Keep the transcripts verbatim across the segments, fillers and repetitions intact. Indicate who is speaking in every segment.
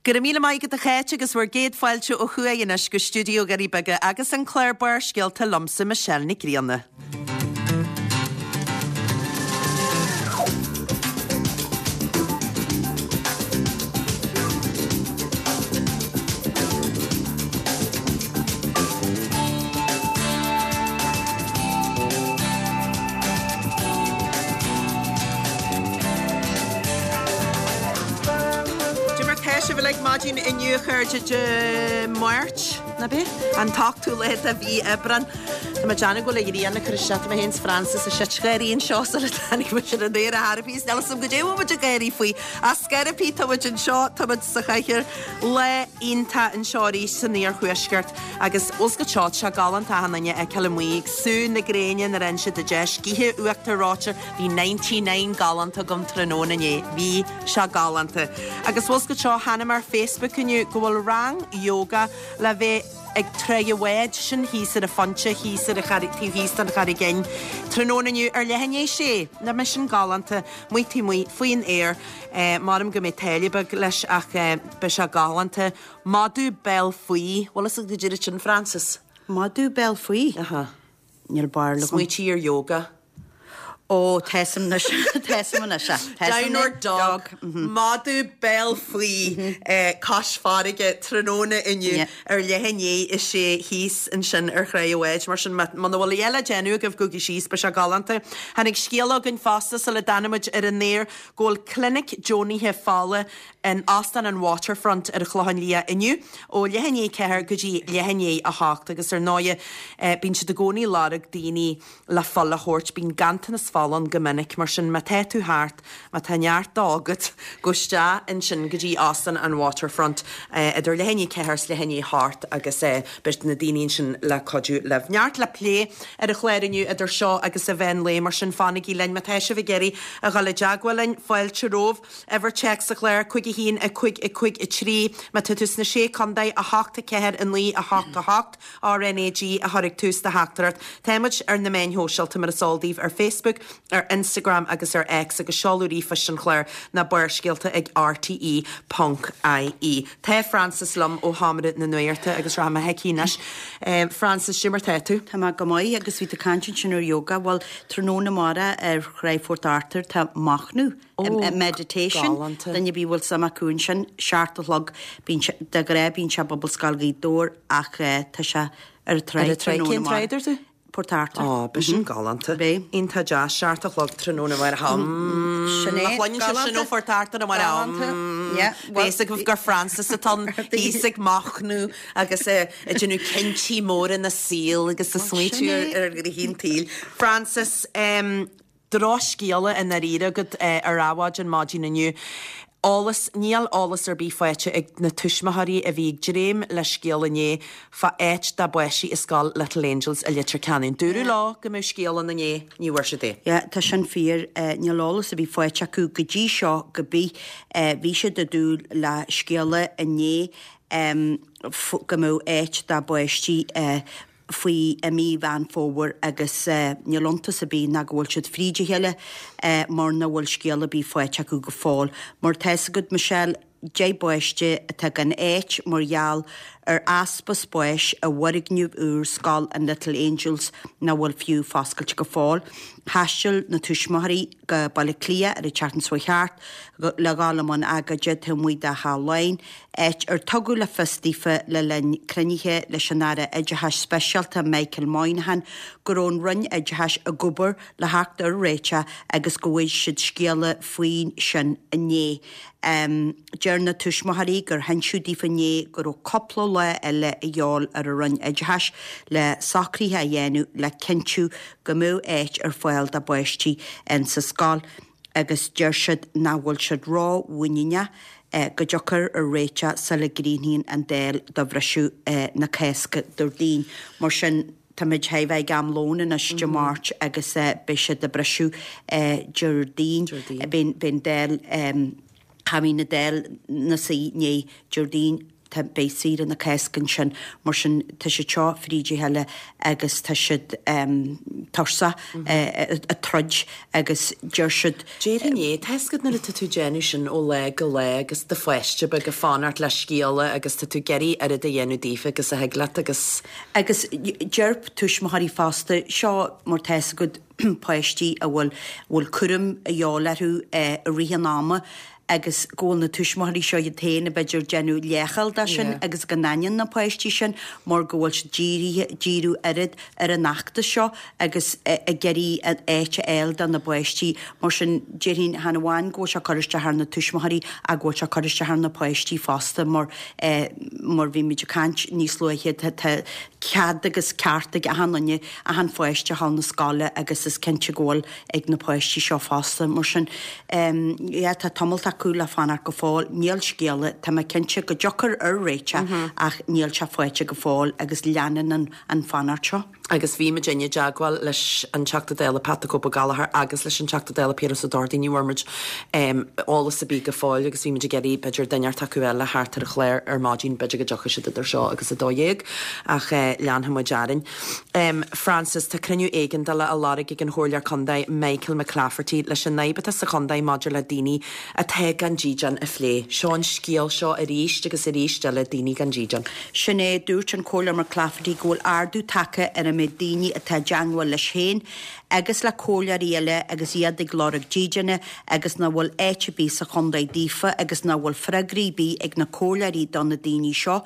Speaker 1: Go raibh míle maith agat a Cháit agus bhur gcéad fáilte ó thuaidh anois go stiúideo Dhoirí Beaga agus an clár Barrscéalta liomsa Michelle Nic Grianna. Cad é mar tá sibh uilig maidin inniu a chairde Dé Máirt, nach ea? An t-ochtú lá de mhí Aibreán. Tá mé ag déanamh go bhfuil an ghrian ag cur isteach tá mé féin 's Francis ag seit gáirí anseo sula dtáinig muid ar an aer a thairfí is níl 'fhios a'm goidé a bhfuil muid ag gáirí faoi. Ach scor ar bith tá muid anseo, tá muid sa chathaoir. Lá iontach anseo arís san iarthuaisceart agus bhfuil 's agat seo, tá sé galánta achan duine a fheiceáil amuigh ag sú na gréine nuair a fhaigheann siad an deis, gaoithe uachtar reoite, bhí ninety nine galánta agam tráthnóna inné, bhí sé galánta. Agus bhfuil 's agat seo, chonaic mé ar Facebook inniu go bhfuil rang yoga le bheith ag Tráigh a' Bháid, sin thíos ar an Phointe, thíos ar an Charraig, taobh thíos den Charraig Fhinn, tráthnóna inniu ar leath i ndiaidh a sé. Nach mbeidh sin galánta, amuigh taobh amuigh, faoin aer. Maram go mbeidh táille beag leis ach beidh sé galánta. Madadh béal faoi, bhfuil fhios agat goidé iad sin, Frances?
Speaker 2: Madadh béal faoi?
Speaker 1: Aha.
Speaker 2: Níl barúil agam.
Speaker 1: Smaoitigh ar yoga.
Speaker 2: Ó, tá 'fhios a'm anois, tá 'fhios a'm anois, tá 'fhios a'm
Speaker 1: Downward dog, madadh béal faoi cois farraige tráthnóna inniu ar leath i ndiaidh a sé thíos ansin ar Thráigh a' Bháid. Mar sin, muna bhfuil a dhath le déanamh agaibh, gabhaigí síos, beidh sé galánta. Tháinig scéala chugainn fosta sula dtáinig muid ar an aer go bhfuil clinic deonaithe fola in Óstán an Waterfront ar an Chlochán Liath inniu ó leath i ndiaidh a ceathair go dtí leath i ndiaidh a hocht agus ar ndóighe bíonn siad i gcónaí ag lorg daoine le fuil a thabhairt, bíonn ganntanas fola ann go minic, mar sin má tá tú thart, má tá neart dó agat, gabh isteach ansin go dtí Óstán an Waterfront idir leath i ndiaidh a ceathair is leath i ndiaidh a hocht agus beidh na daoine ansin le cuidiú libh. Neart le plé ar an chlár inniu idir seo agus an mheán lae, mar sin fanaigí linn má tá sibh ag iarraidh a dhul i dteagmháil linn, fáilte romhaibh. Uimhir téacs an chláir, cúig a haon, a cúig, a cúig, a trí. Má tá tú sna Sé Contae, a hocht, a ceathair, a naoi, a hocht, a hocht, RnaG a chur ag tús do theachtaireacht. Tá muid ar na meáin shóisialta mar is eol daoibh, ar Facebook, ar Instagram agus ar X agus seoladh ríomhphoist an chláir ná barrscéalta ag rte ponc ie. Tá Frances liom ó Sheomra na Nuachta agus rachaidh mé chuici anois. Frances, cad é mar tá tú?
Speaker 2: Tá mé go maith agus bhí tú ag caint ansin ar yoga. Bhuel, tráthnóna amárach ar Thráigh Phort Arthur tá machnamh. Meditation, duine ar bith a bhfuil suim acu ansin, seacht a chlog, bíonn sé, de ghnáth bíonn sé i bPobalscoil Ghaoth Dobhair ach tá sé ar an tráigh tráthnóna
Speaker 1: Cén tráigh a dúirt tú?
Speaker 2: Port Arthur.
Speaker 1: Ó, beidh sin galánta.
Speaker 2: Beidh.
Speaker 1: Iontach deas, seacht a chlog tráthnóna amárach.
Speaker 2: Sin é.
Speaker 1: Má chluineann sibh sin ó Phort Arthur amárach.
Speaker 2: Galánta. Yeah.
Speaker 1: Beidh fhios agaibh gur Frances atá ann, thíos ag machnamh agus ag déanamh cinntí móra ina saol agus ag smaointiú ar ghnoithí an tsaoil. Frances, Drochscéala i ndáiríre agat ar Adhmhaidin maidin inniu. Eolas, Níl eolas ar bith faighte ag na tuismitheoirí a bhí ag dréim le scéal inné fá áit dá bpáistí i scoil Little Angels i Leitir Ceanainn. Dúradh leo go mbeadh scéal ann inné, ní bhfuair siad é.
Speaker 2: Yeah, tá sin fíor. Níl eolas ar bith faighte acu go dtí seo go bith. Bhí siad ag dúil le scéala inné go mbeadh áit dá bpáistí faoi i mí Mheán Fómhair agus níl iontas ar bith ná go bhfuil siad fríd a chéile mar nach bhfuil scéal ar bith faighte acu go fóill. Mar tá 'fhios agat, Michelle, deich bpáiste atá gan áit mar gheall ar easpa spáis i bhfoirgneamh úr Scoil an Little Angels nach bhfuil fiú foscailte go fóill. Thaistil na tuismitheoirí go Baile Átha Cliath ar an tseachtain seo chuaigh thart le dhul i mbun agóide taobh amuigh de Theach Laighean, áit ar tugadh le fios daofa le linn cruinnithe leis an Aire Oideachais Speisialta Michael Moynihan go raibh an Roinn Oideachais ag obair le theacht ar réiteach agus go bhfaighidh siad scéala faoin sin inné. Deir na tuismitheoirí gur hinseadh daofa inné go raibh cúpla lá eile a dhíobháil ar an Roinn Oideachais le socruithe a dhéanamh le cinntiú go mbeadh áit ar fáil dá bpáistí in sa scoil agus deir siad nach bhfuil siad ró-mhuiníneach go dtiocfar ar réiteach sula gcríochnaíonn an Dáil do bhriseadh na Cásca Déardaoin. Mar sin, táimid chóir a bheith ag am lóin anois Dé Máirt agus beidh siad ag briseadh Déardaoin. Beidh an Dáil, cha bhíonn an Dáil ina suí inné Déardaoin. tá beidh saoire na Cásca ansin mar sin tá siad seo fríd a chéile agus tá siad tuirseach ag troid agus deir siad.
Speaker 1: Déarfainn é, tá fhios agat nuair atá tú ag déanamh sin ó lá go lá agus do pháiste beag ag fanacht le scéala agus tá tú ag iarraidh oiread a dhéanamh daofa agus a thig leat agus.
Speaker 2: Agus deir tuismitheoirí fosta, seo mar tá fhios agat páistí a bhfuil bhfuil cúram a dhíobháil orthu i rith an ama agus go bhfuil na tuismitheoirí seo iad féin b'fhéidir ag déanamh leithcheal de sin agus go n-aithníonn na páistí sin mar go bhfuil siad dírithe, díriú oiread ar an fheachtas seo agus ag iarraidh an áit a fháil do na páistí. Mar sin, déarfainn chan amháin go bhfuil sé ag cur isteach ar na tuismitheoirí ach go bhfuil sé ag cur isteach ar na páistí fosta mar mar bhí muid ag caint níos luaithe tá cead agus ceart ag achan duine, achan pháiste a dhul na scoile agus is cinnte go bhfuil ag na páistí seo fosta. Mar sin, yeah, tá tamalt acu le fanacht go fóill. Níl scéala, tá mé cinnte go dtiocfar ar réiteach ach níl sé faighte go fóill agus leanann an an fanacht seo.
Speaker 1: Agus bhí muid i dteagmháil leis an Teachta Dála Pat the Cope Ó Gallchóir agus leis an Teachta Dála Piaras Ó Dordaí, ní bhfuair muid eolas ar bith go fóill agus bhí muid ag iarraidh b'fhéidir duine inteacht acu eile thart ar an chlár ar maidin, b'fhéidir go dtiocfaidh siad idir seo agus a dó dhéag ach leanfaidh muid orainn. Frances, tá cruinniú éigeandála á lorg ag an Chomhairleoir Contae Michael McClafferty leis an fhadhb atá sa chontae maidir le daoine atá gan dídean a phlé. Seo an scéal seo arís agus arís eile, daoine gan dídean.
Speaker 2: Sin é, dúirt an Comhairleoir McClafferty go bhfuil ardú tagtha ar an méid daoine atá i dteangmháil leis féin agus le comhairleoirí eile agus iad ag lorg dídine agus nach bhfuil áit ar bith sa chontae daofa agus nach bhfuil freagraí ar bith ag na comhairleoirí do na daoine seo.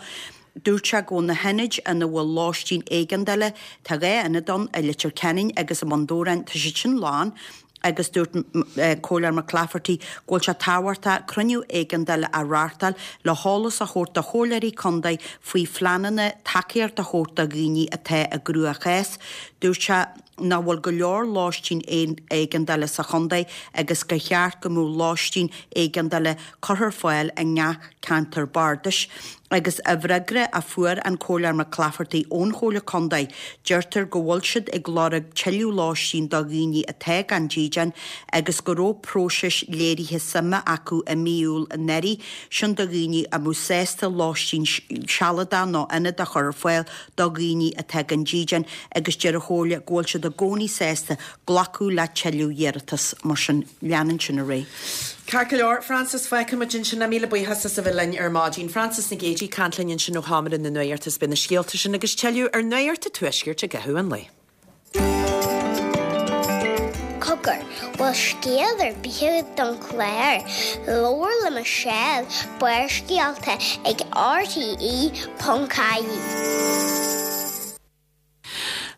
Speaker 2: Dúirt sé go bhfuil na hionaid ina bhfuil lóistín éigeandála, tá dhá ionad ann, i Leitir Ceanainn agus i mBun Dobhráin, tá siad sin lán agus dúirt Comhairleoir McClafferty go bhfuil sé tábhachtach cruinniú éigeandála a reáchtáil le heolas a thabhairt do chomhairleoirí contae faoi phleananna tacaíocht a thabhairt do dhaoine atá i gcruachás. Dúirt sé nach bhfuil go leor lóistín éigeandála sa chontae agus gur cheart go mbeadh lóistín éigeandála curtha ar fáil i ngach ceantar bardais. Agus i bhfreagra a fuair an Comhairleoir McClafferty ón Chomhairle Contae, deirtear go bhfuil siad ag lorg tuilleadh lóistín do dhaoine atá gan dídean agus go raibh próiseas léirithe suime acu i mí Iúil anuraidh, sin do dhaoine a mbeadh sásta lóistín sealadach nó ionad a chur ar fáil do dhaoine atá gan dídean agus deir an Chomhairle go bhfuil siad i gcónaí sásta glacadh le tuilleadh iarratas. Mar sin, leanann sin ar aghaidh.
Speaker 1: Ceart go leor, Frances, fágfaidh muid ansin é. Míle buíochas as a bheith linn ar maidin. Frances Nic Géadaigh ag caint linn ansin ó Sheomra na Nuachta is beidh na scéalta sin agus tuilleadh ar Nuacht an Tuaiscirt i gcaitheamh an lae.
Speaker 3: Cogar, bhfuil scéal ar bith agat don chlár? Labhair le Michelle, Barrscéalta ag RTE ponc ie.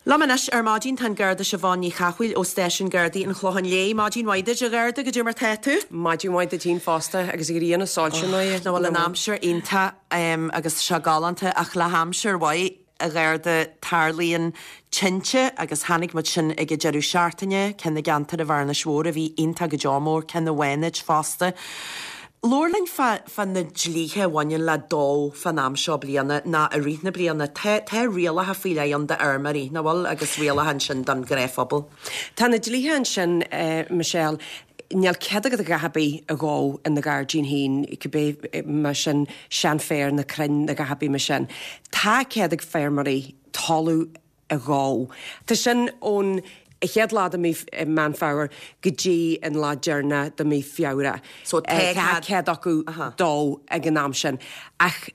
Speaker 1: Liom anois ar maidin tá an Garda Siobhán Ní Chathmhaoil ó Stáisiún Gardaí an Chlocháin Léith. Maidin mhaith duit, a Gharda, goidé mar tá tú?
Speaker 4: Maidin mhaith duit féin fosta agus an ghrian ag soilsiú
Speaker 1: Nach bhfuil an aimsir iontach agus sé galánta ach le haimsir mhaith, a Gharda, tarlaíonn tinte agus chonaic muid sin ag an deireadh seachtaine, ceann i gceantar an Bhearnais Mhóir a bhí iontach go deo mór, ceann i bhFánaid fosta. Labhair linn fá fá na dlíthe a bhaineann le dó fán am seo bliana ná i rith na bliana. Tá tá rialacha faoi leith ann d'fheirmeoirí, nach bhfuil, agus rialacha ansin don ghnáthphobal.
Speaker 4: Tá na dlíthe ansin, Michelle. Níl cead agat a dhath ar bith a dhó in do ghairdín féin, cibé mar sin seanfhéar nó crainn nó a dhath ar bith mar sin. Tá cead ag feirmeoirí talamh a dhó. Tá sin ón chéad lá de mí Meán Fómhair go dtí an lá deireanach de mí Feabhra.
Speaker 1: So tá
Speaker 4: Tá cead acu dó ag an am sin. Ach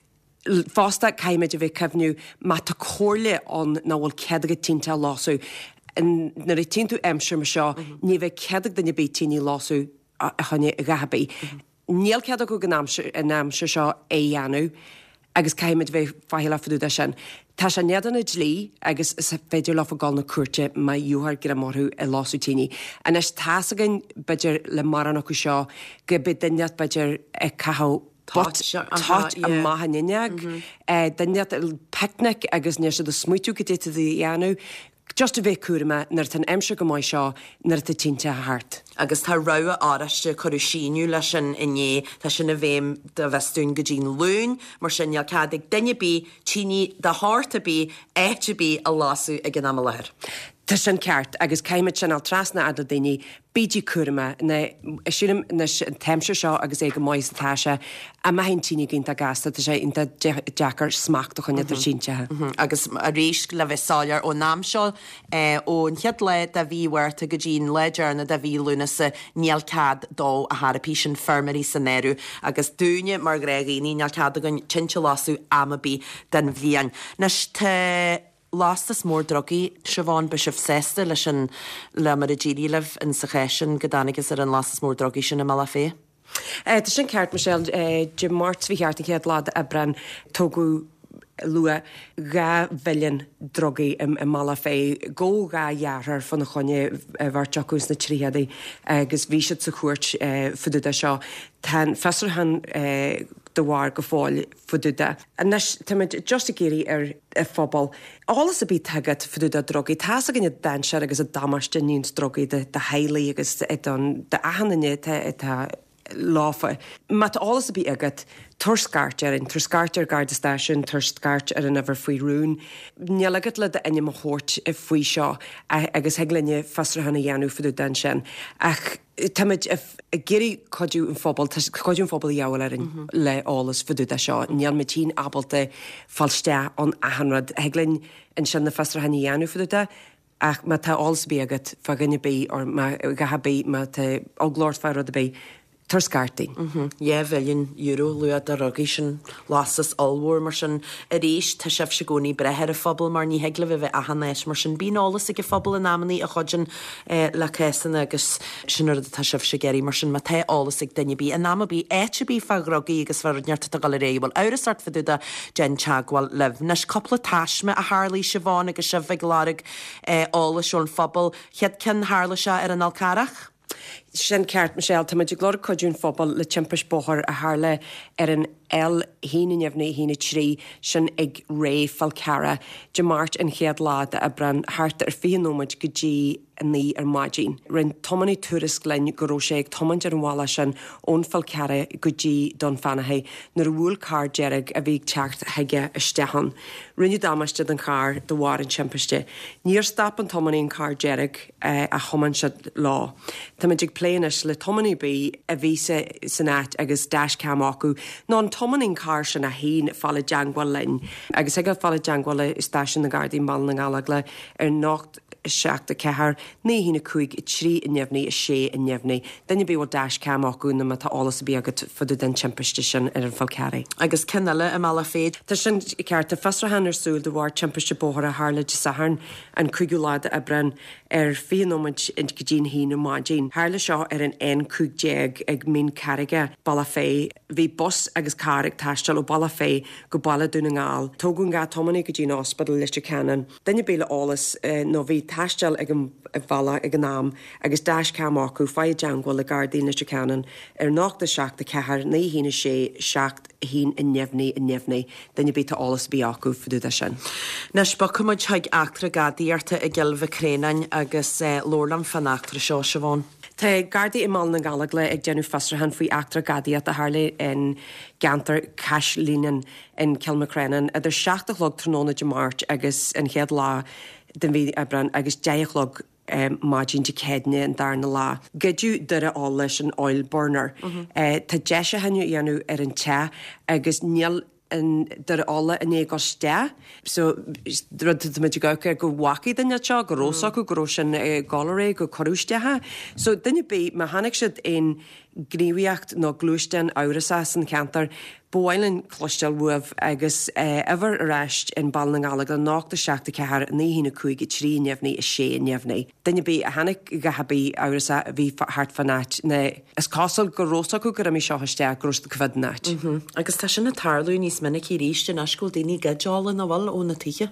Speaker 4: fosta caithfimid a bheith cuimhniú má tá comhairle ann nach bhfuil cead agat tinte a lasadh, nuair a tchíonn tú aimsir mar seo ní bheidh cead ag duine ar bith tine a lasadh a choinne a dhath ar bith. Níl cead acu ag an aimsir seo é a dhéanamh agus caithfimid bheith faichilleach fá dtaobh de sin. Tá sé in éadan an dlí agus is féidir leofa dul 'na cúirte má gheofar greim orthu ag lasadh tine. Anois tá's againn b'fhéidir le mórán acu seo go mbeidh duine inteacht b'fhéidir ag caitheamh toit toit amach an fhuinneog, duine inteacht ag picnic agus níl siad ag smaoitiú cad é tá siad a dhéanamh. Just a bheith cúramach nuair atá an aimsir go maith seo, nuair atá tinte thart.
Speaker 1: Agus tá rabhadh oráiste, cuireadh síneadh leis sin inné, tá sin i bhfeidhm go bhfios dúinn go dtí'n Luan, mar sin níl cead ag duine ar bith tine de shórt ar bith, áit ar bith a lasadh ag an am i láthair.
Speaker 4: Tá sin ceart agus caithfimid sin a fháil trasna fhad le daoine, bígí cúramach, nó sílim anois an t-aimsir seo agus é go maith is atá sé, a mbeidh an tine go iontach gasta, tá sé iontach deacair smacht a choinneáil ar thinte.
Speaker 1: Agus arís le bheith soiléir ón am seo, ón chéad lá de mhí Mhárta go dtí an lá deireanach de mhí Lúnasa, níl cead dó a tharraipí sin feirmeoirí san áireamh agus dúinne mar ghnáthdhaoine níl cead againn tinte a lasadh am ar bith den bhliain. Anois tá lastas mór drugaí, Siobhán, beidh sibh sásta leis an, le mar a d'éirigh libh in sa chás sin go dtáinigeas ar an lastas mór drugaí sin i mBealach Féich?
Speaker 4: Tá sin ceart, Michelle. Dé Máirt seo chuaigh thart an chéad lá d'Aibreán, tógadh luach dhá mhilliún drugaí i mBealach Féich. Gabhadh dhá dheartháir fána choinne, beirt acu sna tríochadaí, agus bhí siad sa chúirt fá dtaobh de seo. Tá an fiosrúchán de bharr go fóill fá dtaobh de. Anois, táimid just ag iarraidh ar an phobal eolas ar bith atá agat fá dtaobh de drugaí. Tá's againn an dainséar agus an damáiste a níonns drugaí do theaghlaigh agus don achan duine atá lofa. Má tá eolas ar bith agat, tabhair scairt orainn, tabhair scairt ar Garda Stáisiún, tabhair scairt ar an uimhir faoi rún. Níl agat le d'ainm a thabhairt faoi seo agus thig linne fiosrúchán a dhéanamh fá dtaobh de ansin. Ach táimid ag iarraidh cuidiú an phobail, tá cuidiú an phobail a dhíobháil orainn le eolas fá dtaobh de seo. Níl muid féin ábalta fáil isteach ann achan rud. Thig linn ansin na fiosrúcháin a dhéanamh fá dtaobh de ach má tá eolas ar bith agat fá dhuine ar bith or má a dhath ar bith, má tá eagla ort fá rud ar bith, Tabhair scairt dúinn.
Speaker 1: Dhá mhilliún euro luach de dhrugaí, sin lastas ollmhór. Mar sin, arís, tá sibhse i gcónaí ag brath ar an phobal mar ní thig libh a bheith achan áit. Mar sin, bíonn eolas ag an phobal in amannaí a chuidíonn le cásanna agus sin an rud atá sibhse ag iarraidh. Mar sin, má tá eolas ag duine ar bith, in am ar bith, áit ar bith fá dhrugaí agus fá rud inteacht atá ag dul ar aghaidh, a bhfuil amhras ort fá dtaobh de, déan teagmháil libh. Anois, cúpla taisme a tharlaigh, Siobhán, agus sibh ag lorg eolais ón phobal. Chéad ceann, tharla sé ar an Fhál Carrach.
Speaker 4: Sin ceart, Michelle. Tá muid ag lorg cuidiú an phobail le timpist bóthair a tharla ar an L a haon a neamhní a haon a trí, sin ag Rae, Fál Carrach, Dé Máirt an chéad lá d'Aibreán, thart ar fiche nóiméad go dtí a naoi ar maidin. Rinne tiománaí tuairisc linn go raibh sé ag tiomáint ar an bhealach sin ón Fál Carrach go dtí Dún Fionnachaidh nuair a bhuail carr dearg a bhí ag teacht chuige isteach ann. Rinneadh damáiste don charr de bharr an timpiste. Níor stop an tiománaí an carr dearg ach thiomáin siad leo. Táimid ag plé anois le tiománaí ar bith a bhí san áit agus dashcam acu nó an tiománaí an carr sin é féin fáil i dteangmháil linn agus thig leo fáil i dteangmháil le Stáisiún na Gardaí i mBaile na nGallóglach ar nocht a seacht a ceathair naoi a haon a cúig a trí a neamhní a sé a neamhní. Duine ar bith a bhfuil dashcam acu nó má tá eolas ar bith agat fá dtaobh den timpiste sin ar an Fál Carrach.
Speaker 1: Agus ceann eile i mBealach Féich.
Speaker 4: Tá sin ceart. Tá fiosrúchán ar súil de bharr timpiste bóthair a tharla Dé Sathairn an cúigiú lá d'Aibreán ar fiche nóiméad go dtí an haon ar maidin. Tharla seo ar an N cúig déag ag Mín Carraige, Bealach Féich. Bhí bus agus carr ag taisteal ó Bealach Féich go Baile Dún na nGall. Tógadh an dhá tiománaí go dtí an ospidéal Leitir Ceanainn. Duine ar bith le eolas nó bhí ag taisteal ag an bhealach ag an am agus dashcam acu, faigh i dteangmháil le Gardaí Leitir Ceanainn ar nocht a seacht a ceathair naoi a haon a sé seacht a haon a neamhní a neamhní. Duine ar bith tá eolas ar bith acu fá dtaobh de sin.
Speaker 1: Anois bogfaidh muid chuig eachtra gadaíochta i gCill Mhic Réanáin agus labhair liom fán eachtra seo, Siobhán.
Speaker 4: Tá Gardaí i mBaile na nGallóglach ag déanamh fiosrúchán faoi eachtra gadaíochta a tharla in gceantar Caisleán in Cill Mhic Réanáin idir seacht a chlog tráthnóna Dé Máirt agus an chéad lá den mhí Aibreán agus deich a chlog maidin Dé Céadaoine an darna lá. Goideadh doire ola, sin oil burner. Tá deisiúcháin á dhéanamh ar an teach agus níl an doire ola i ndiaidh dul isteach. So rud atá muid ag amharc air go bhfacaidh duine seo, go raibh fhios acu go raibh sin ag dul ar aghaidh, go cuireadh isteach é. So duine ar bith, má chonaic siad aon gníomhaíocht nó gluaisteán amhrasach san cheantar, ba mhaith linn cloisteáil uaibh agus uimhir ar ais in Baile na nGallóglach nocht a seacht a ceathair naoi a haon a cúig a trí neamhní a sé neamhní. Duine ar bith a chonaic a dhath ar bith amhrasach a bhí thart fán áit nó is cosúil go raibh fhios acu gur imigh seo isteach go raibh siad ag coimhéad an áit.
Speaker 1: Agus tá sin ag tarlú níos minicí arís anois go bhfuil daoine ag goid ola nach bhfuil ó na tithe.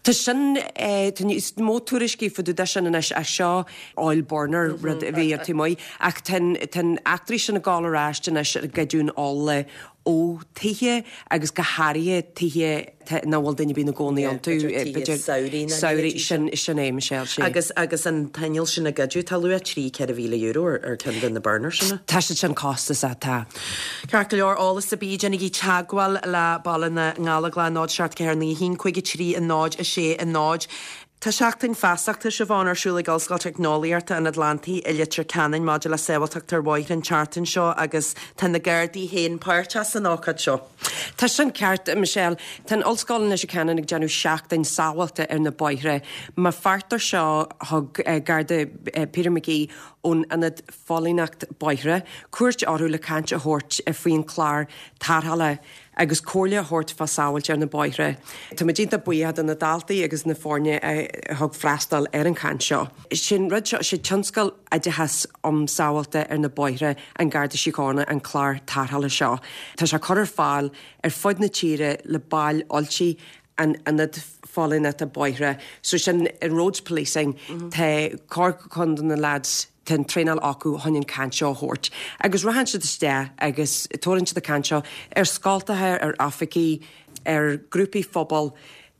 Speaker 4: Tá sin, tá níos mó tuairiscí fá dtaobh de sin anois ach seo oil burner rud a bhí ar taobh amuigh ach tá an eachtraí sin ag gabháil ar ais anois ag goideadh an ola ó tithe agus go háirithe tithe nach bhfuil duine ar bith ina gcónaí iontu.
Speaker 1: B'fhéidir samhraidh nó
Speaker 4: Samhraidh, sin, sin é Michelle,
Speaker 1: sea. Agus, agus an t-inneall sin a goideadh, tá luach trí, ceithre mhíle euro ar, ar ceann de na burners sin.
Speaker 4: Tá siad sin costasach, tá.
Speaker 1: Ceart go leor, eolas ar bith, déanaigí teagmháil le Baile na nGallóglach, náid seacht ceathair naoi a haon cúig a trí a náid a sé a náid. Tá seachtain feasachta Siobhán ar siúl ag Ollscoil Teicneolaíochta an Atlantaigh i Leitir Ceanainn maidir le sábháilteacht ar bhóithre an tseachtain seo agus tá na Gardaí féin páirteach san ócáid seo.
Speaker 4: Tá sin ceart, Michelle. Tá an Ollscoil in Leitir Ceanainn ag déanamh seachtain sábháilte ar na bóithre. Mar pháirt de seo thug Garda Peter McGee ón Ionad Phóilíneacht Bóithre cuairt orthu le caint a thabhairt faoin chlár tarrthála agus comhairle a thabhairt fá sábháilte ar na bóithre. Tá muid iontach buíoch do na daltaí agus na foirne a thug freastal ar an chaint seo. Sin rud seo sé tionscal oideachas um sábháilte ar na bóithre an Garda Síochána an clár tarrthála seo. Tá sé curtha ar fáil ar fud na tíre le baill oilte an ionad phóilíneachta bóithre. So sin in roads policing mm -hmm. Tá corr chun na lads tá an traenáil acu chun an caint seo a thabhairt. Agus rachann siad isteach agus tabharann siad an caint seo ar scoltacha ar oifigí ar grúpaí phobail.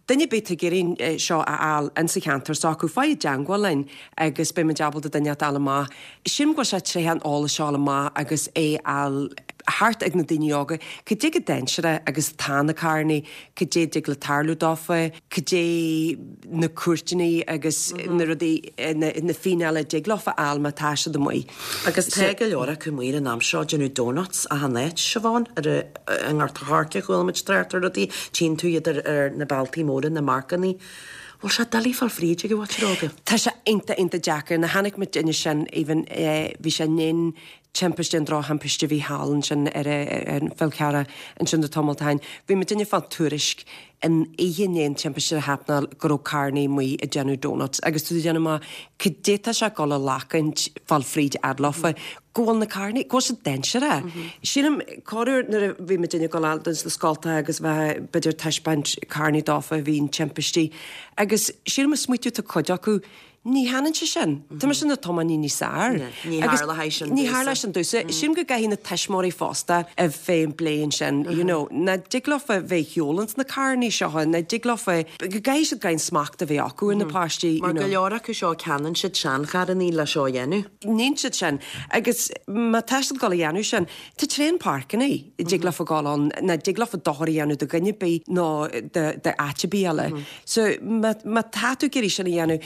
Speaker 4: Duine bith ag iarraidh seo a fháil insa cheantar s'acu faigh i dteagmháil linn agus beidh muid ábalta duine a fháil amach. Sin go bhfuil sé tréithe an eolas seo amach agus é fháil thart ag na daoine óga, cad é chomh dainséarach agus tá na carrannaí, cad é dtig le tarlú dófa, cad é na cúirteanna agus na rudaí na, na fíneála dtig leofa fháil má tá siad amuigh.
Speaker 1: Agus tá go leor acu amuigh an am seo déanamh donuts achan áit Siobhán ar an nGort an Choirce chuala muid trácht ar rudaí, tchíonn tú iad ar, ar na bealtaí móra na marcannaí. Bhfuil sé doiligh fáil fríd ag an mhuintir óga?
Speaker 4: Tá sé iontach iontach deacair na chonaic muid duine sin even eh, bhí sé nin timpiste an drochthimpiste bhí thall ansin ar an Fál Carrach ansin do tamall ó shin. Bhí muid duine fá tuairisc in oíche an timpiste a happenáil go raibh carrannaí amuigh ag déanamh donuts agus tú déanamh má cad é tá sé ag dul a lachaint fáil fríd adlofa go bhfuil na carrannaí go bhfuil siad dainséarach. Sílim corruair nuair a bhí muid ag dul dos na scoltacha agus bheith b'fhéidir taispeáint carrannaí dófa a bhí in timpistí agus sílim a smaoitiú tá cuid acu ní hanann sé sin. Tá sin na tiománaí níos fearr.
Speaker 1: Ní tharla sin
Speaker 4: Ní tharla sin domhsa. Sílim go gcaithfidh na tuismitheoirí fosta a bheith an bliain sin, you know, na dtig leofa bheith sheolann na carrannaí seo, na dtig leofa go gcaithfidh siad gan smacht a bheith acu ar na páistí.
Speaker 1: Mar go leor acu seo ceannaíonn siad seancharrannaí le seo a dhéanamh.
Speaker 4: Níonn siad sin agus má tá siad ag dul a dhéanamh sin, tá tréan páirceanna dtig leofa dul ann na dtig leofa dochar a dhéanamh do dhuine bí nó de áit bí eile. So má má tá tú ag iarraidh sin a dhéanamh,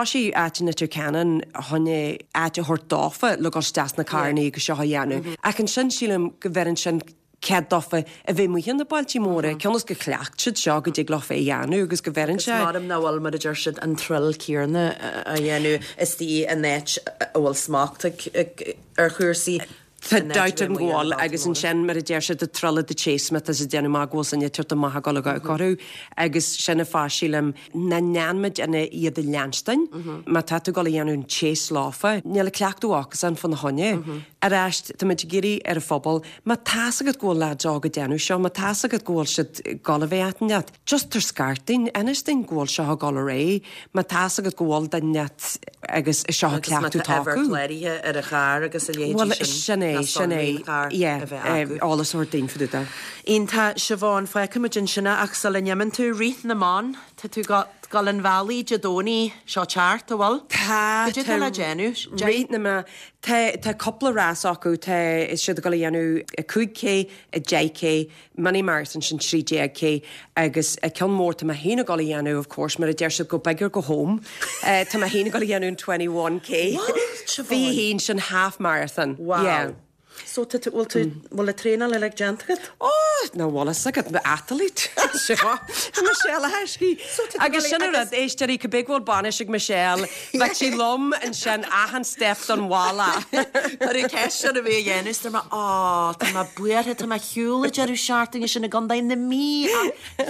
Speaker 4: tá sí áit in Leitir Ceanainn chun áit a thabhairt dófa le dul isteach na carrannaí agus seo a dhéanamh. Ach ansin sílim go bhfeireann sin cead dófa a bheith amuigh na bailtí móra, cionn go chleacht siad seo go dtig leofa é dhéanamh agus go bhfeireann sé.
Speaker 1: Maram ná bhfuil mar a deir siad an thrill céanna a dhéanamh is tí an áit a bhfuil smacht ar chúrsaí.
Speaker 4: Tá dabht an bhfuil agus ansin mar a deir siad thrill of the chase má tá siad déanamh amach go bhfuil san ag amach ag dul ag orthu agus sin an fáth sílim na ndéanfaimid ina iad a leanstan má tá tú ag dul a dhéanamh an chase leofa, níl a cleachtadh acusan fána choinne. Arís tá muid ag iarraidh ar an phobal, má tá's agat go bhfuil lads óga ag déanamh seo, má tá's agat go bhfuil siad ag dul a bheith leat, just tar scairt dúinn, inis dúinn go bhfuil seo ag dul ar aghaidh, má tá's agat go bhfuil duine leat agus seo a cleachtadh tá acu.
Speaker 1: Cláraithe ar a charr agus a leithéidí
Speaker 4: Well, sin é, sin é, yeah, eolas a thabhairt dúinn fá dtaobh.
Speaker 1: Iontach Siobhán fágfaimid ansin ach sula n-imíonn tú rith na mban, tá tú dul an bhealaigh Dé Domhnaigh seo teart a bhfuil?
Speaker 4: Tá
Speaker 1: Cad é le déanamh?
Speaker 4: Rith na mban Tá tá cúpla rás acu tá siad ag dul a dhéanamh a cúig K, a deich K, mini marathon sin trí déag K agus a ceann mór tá mé féin ag dul a dhéanamh of course mar a deir siad go big or go home. Uh, tá mé féin ag dul a dhéanamh an twenty one K. Bhí haon sin half marathon.
Speaker 1: Wow.
Speaker 4: Yeah.
Speaker 1: So tá bhfuil tú bhfuil a traenáil uilig déanta agat?
Speaker 4: Oh, ná bhfuil agat athlete. Seo Michelle Heisky. Agus sin rud éisteoirí go big bhfuil bainis ag Michelle, bheadh sí liom ansin achan step don bhealach.
Speaker 1: Tá ceist a bhí a dhéanamh mar á Tá mé buartha tá mé shiúla deireadh seachtaine sin i gContae na Mí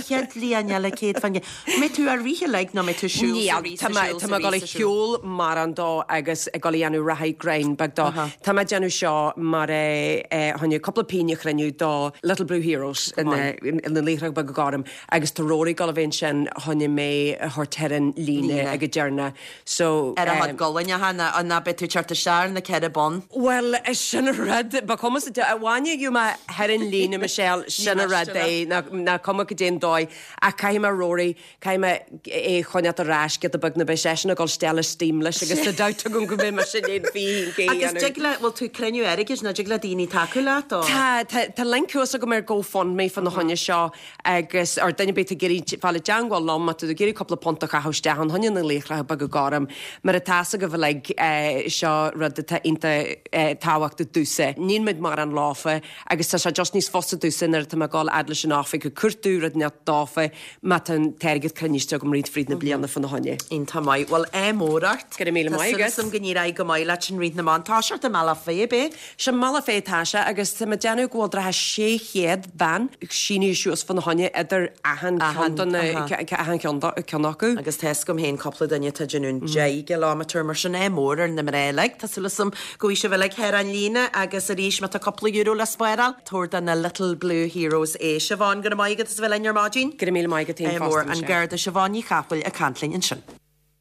Speaker 1: chéad bliain eile céad fan Mé tú ar ríthe le ná mé tú siúl
Speaker 4: Tá mé ag dul ag siúl mar an dó agus ag dul a dhéanamh reathaí grein beag dó. Tá mé déanamh seo mar tháinig cúpla pingin a chruinniú do Little Blue Heroes ina Laochra Beaga Gorm agus tá Rory ag dul a bheith ansin chun mé a thabhairt ar an líne ag an deireadh. So
Speaker 1: Ar a thod golaine an ná be tú teart isteach na ceithre bun.
Speaker 4: Well sin rud ba cuma a bhaine you mé ar an líne Michelle sin a rud é ná cuma go déan dóigh ach caithfidh mé Rory caithfidh mé é choinneáil ar ais giota beag na beidh seisean ag dul isteach le steam leis agus tá dabht agam go mbeidh mé sin aon fiche
Speaker 1: Agus dtig le bhfuil tú cruinniú airgid ná dtig le daoine tacú leat ó?
Speaker 4: Tá tá tá link thuas agam ar GoFundMe fan na choinne seo agus Agus ar duine ar bith ag iarraidh fáil i dteangmháil liom má tá tú ag iarraidh cúpla punt a chaitheamh isteach fá choinne na laochra beaga gorm mar atá a fhios agaibh uilig seo rud atá iontach tábhachtach domhsa. Níl muid mórán leofa agus tá sé just níos fusa domhsa nuair atá mé ag dul fhad leis an oifig ag cuartú rud inteacht dófa má tá an t-airgead cruinniste agam roinnt fríd na bliana fána choinne.
Speaker 1: Iontach maith. Bhuel, ádh mór ort.
Speaker 4: Go raibh míle maith agat.
Speaker 1: Tá súil agam go n-éireoidh go maith leat in Rith na mBan. Tá sé i mBealach Féich, ab é?
Speaker 4: Sé i mBealach Féich atá sé agus tá mé ag déanamh go bhfuil dócha sé chéad bean sínithe suas fána choinne idir achan ceann de na achan cheann ceann acu.
Speaker 1: Agus tá fhios agam féin cúpla duine atá ag déanamh an deich gcileámeter mar sin ádh mór ar na mná uilig. Tá súil agam go bhfaighidh sibh uilig thar an líne agus arís má tá cúpla euro le spáráil, tabhair do na Little Blue Heroes é. Siobhán, go raibh maith agat as a bheith linn ar maidin.
Speaker 4: Go raibh míle maith agat féin
Speaker 1: Ádh mór
Speaker 4: fosta,
Speaker 1: an
Speaker 4: Michelle.
Speaker 1: Garda Siobhán Ní Chathmhaoil ag caint linn ansin.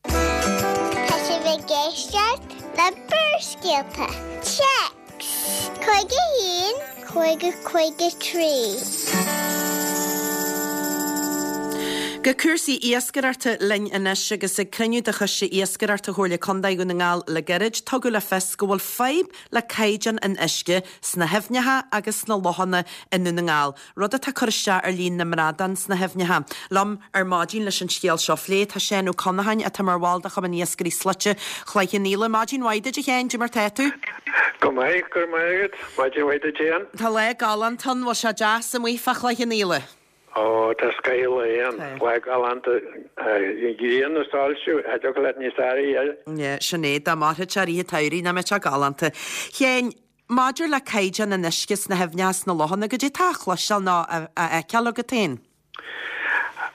Speaker 3: Tá sibh ag éisteacht le Barrscéalta. Téacs cúig a haon cúig a cúig a trí.
Speaker 1: Go cúrsaí iascaireachta linn anois agus ag cruinniú de Choiste Iascaireachta Chomhairle Contae Dhún na nGall le gairid, tugadh le fios go bhfuil fadhb le caighdeán an uisce sna haibhneacha agus sna lochanna i nDún na nGall, rud atá ag cur isteach ar líon na mbradán sna haibhneacha. Liom ar maidin leis an scéal seo a phlé tá Seán Ó Conacháin atá mar bhall de Chumann Iascairí Slaite Chloich Cheann Fhaola. Maidin mhaith duit a Sheáin, cad é mar tá tú?
Speaker 5: Go maith, go raibh maith agat. Maidin mhaith duit féin.
Speaker 1: Tá lá galánta ann, bhfuil sé deas amuigh fá Chloich Cheann Fhaola?
Speaker 5: Ó, tá scoth lae ann. Lá galánta, an ghrian ag soilsiú, cha dtiocfadh leat níos fearr a fháil.
Speaker 1: Yeah, sin é, dá mairfeadh sé i rith an tsamhraidh, nach mbeadh sé galánta. Sheáin, maidir le caighdeán an uisce sna haibhneacha sna lochanna, goidé tá á chloisteáil nó á fheiceáil agat féin?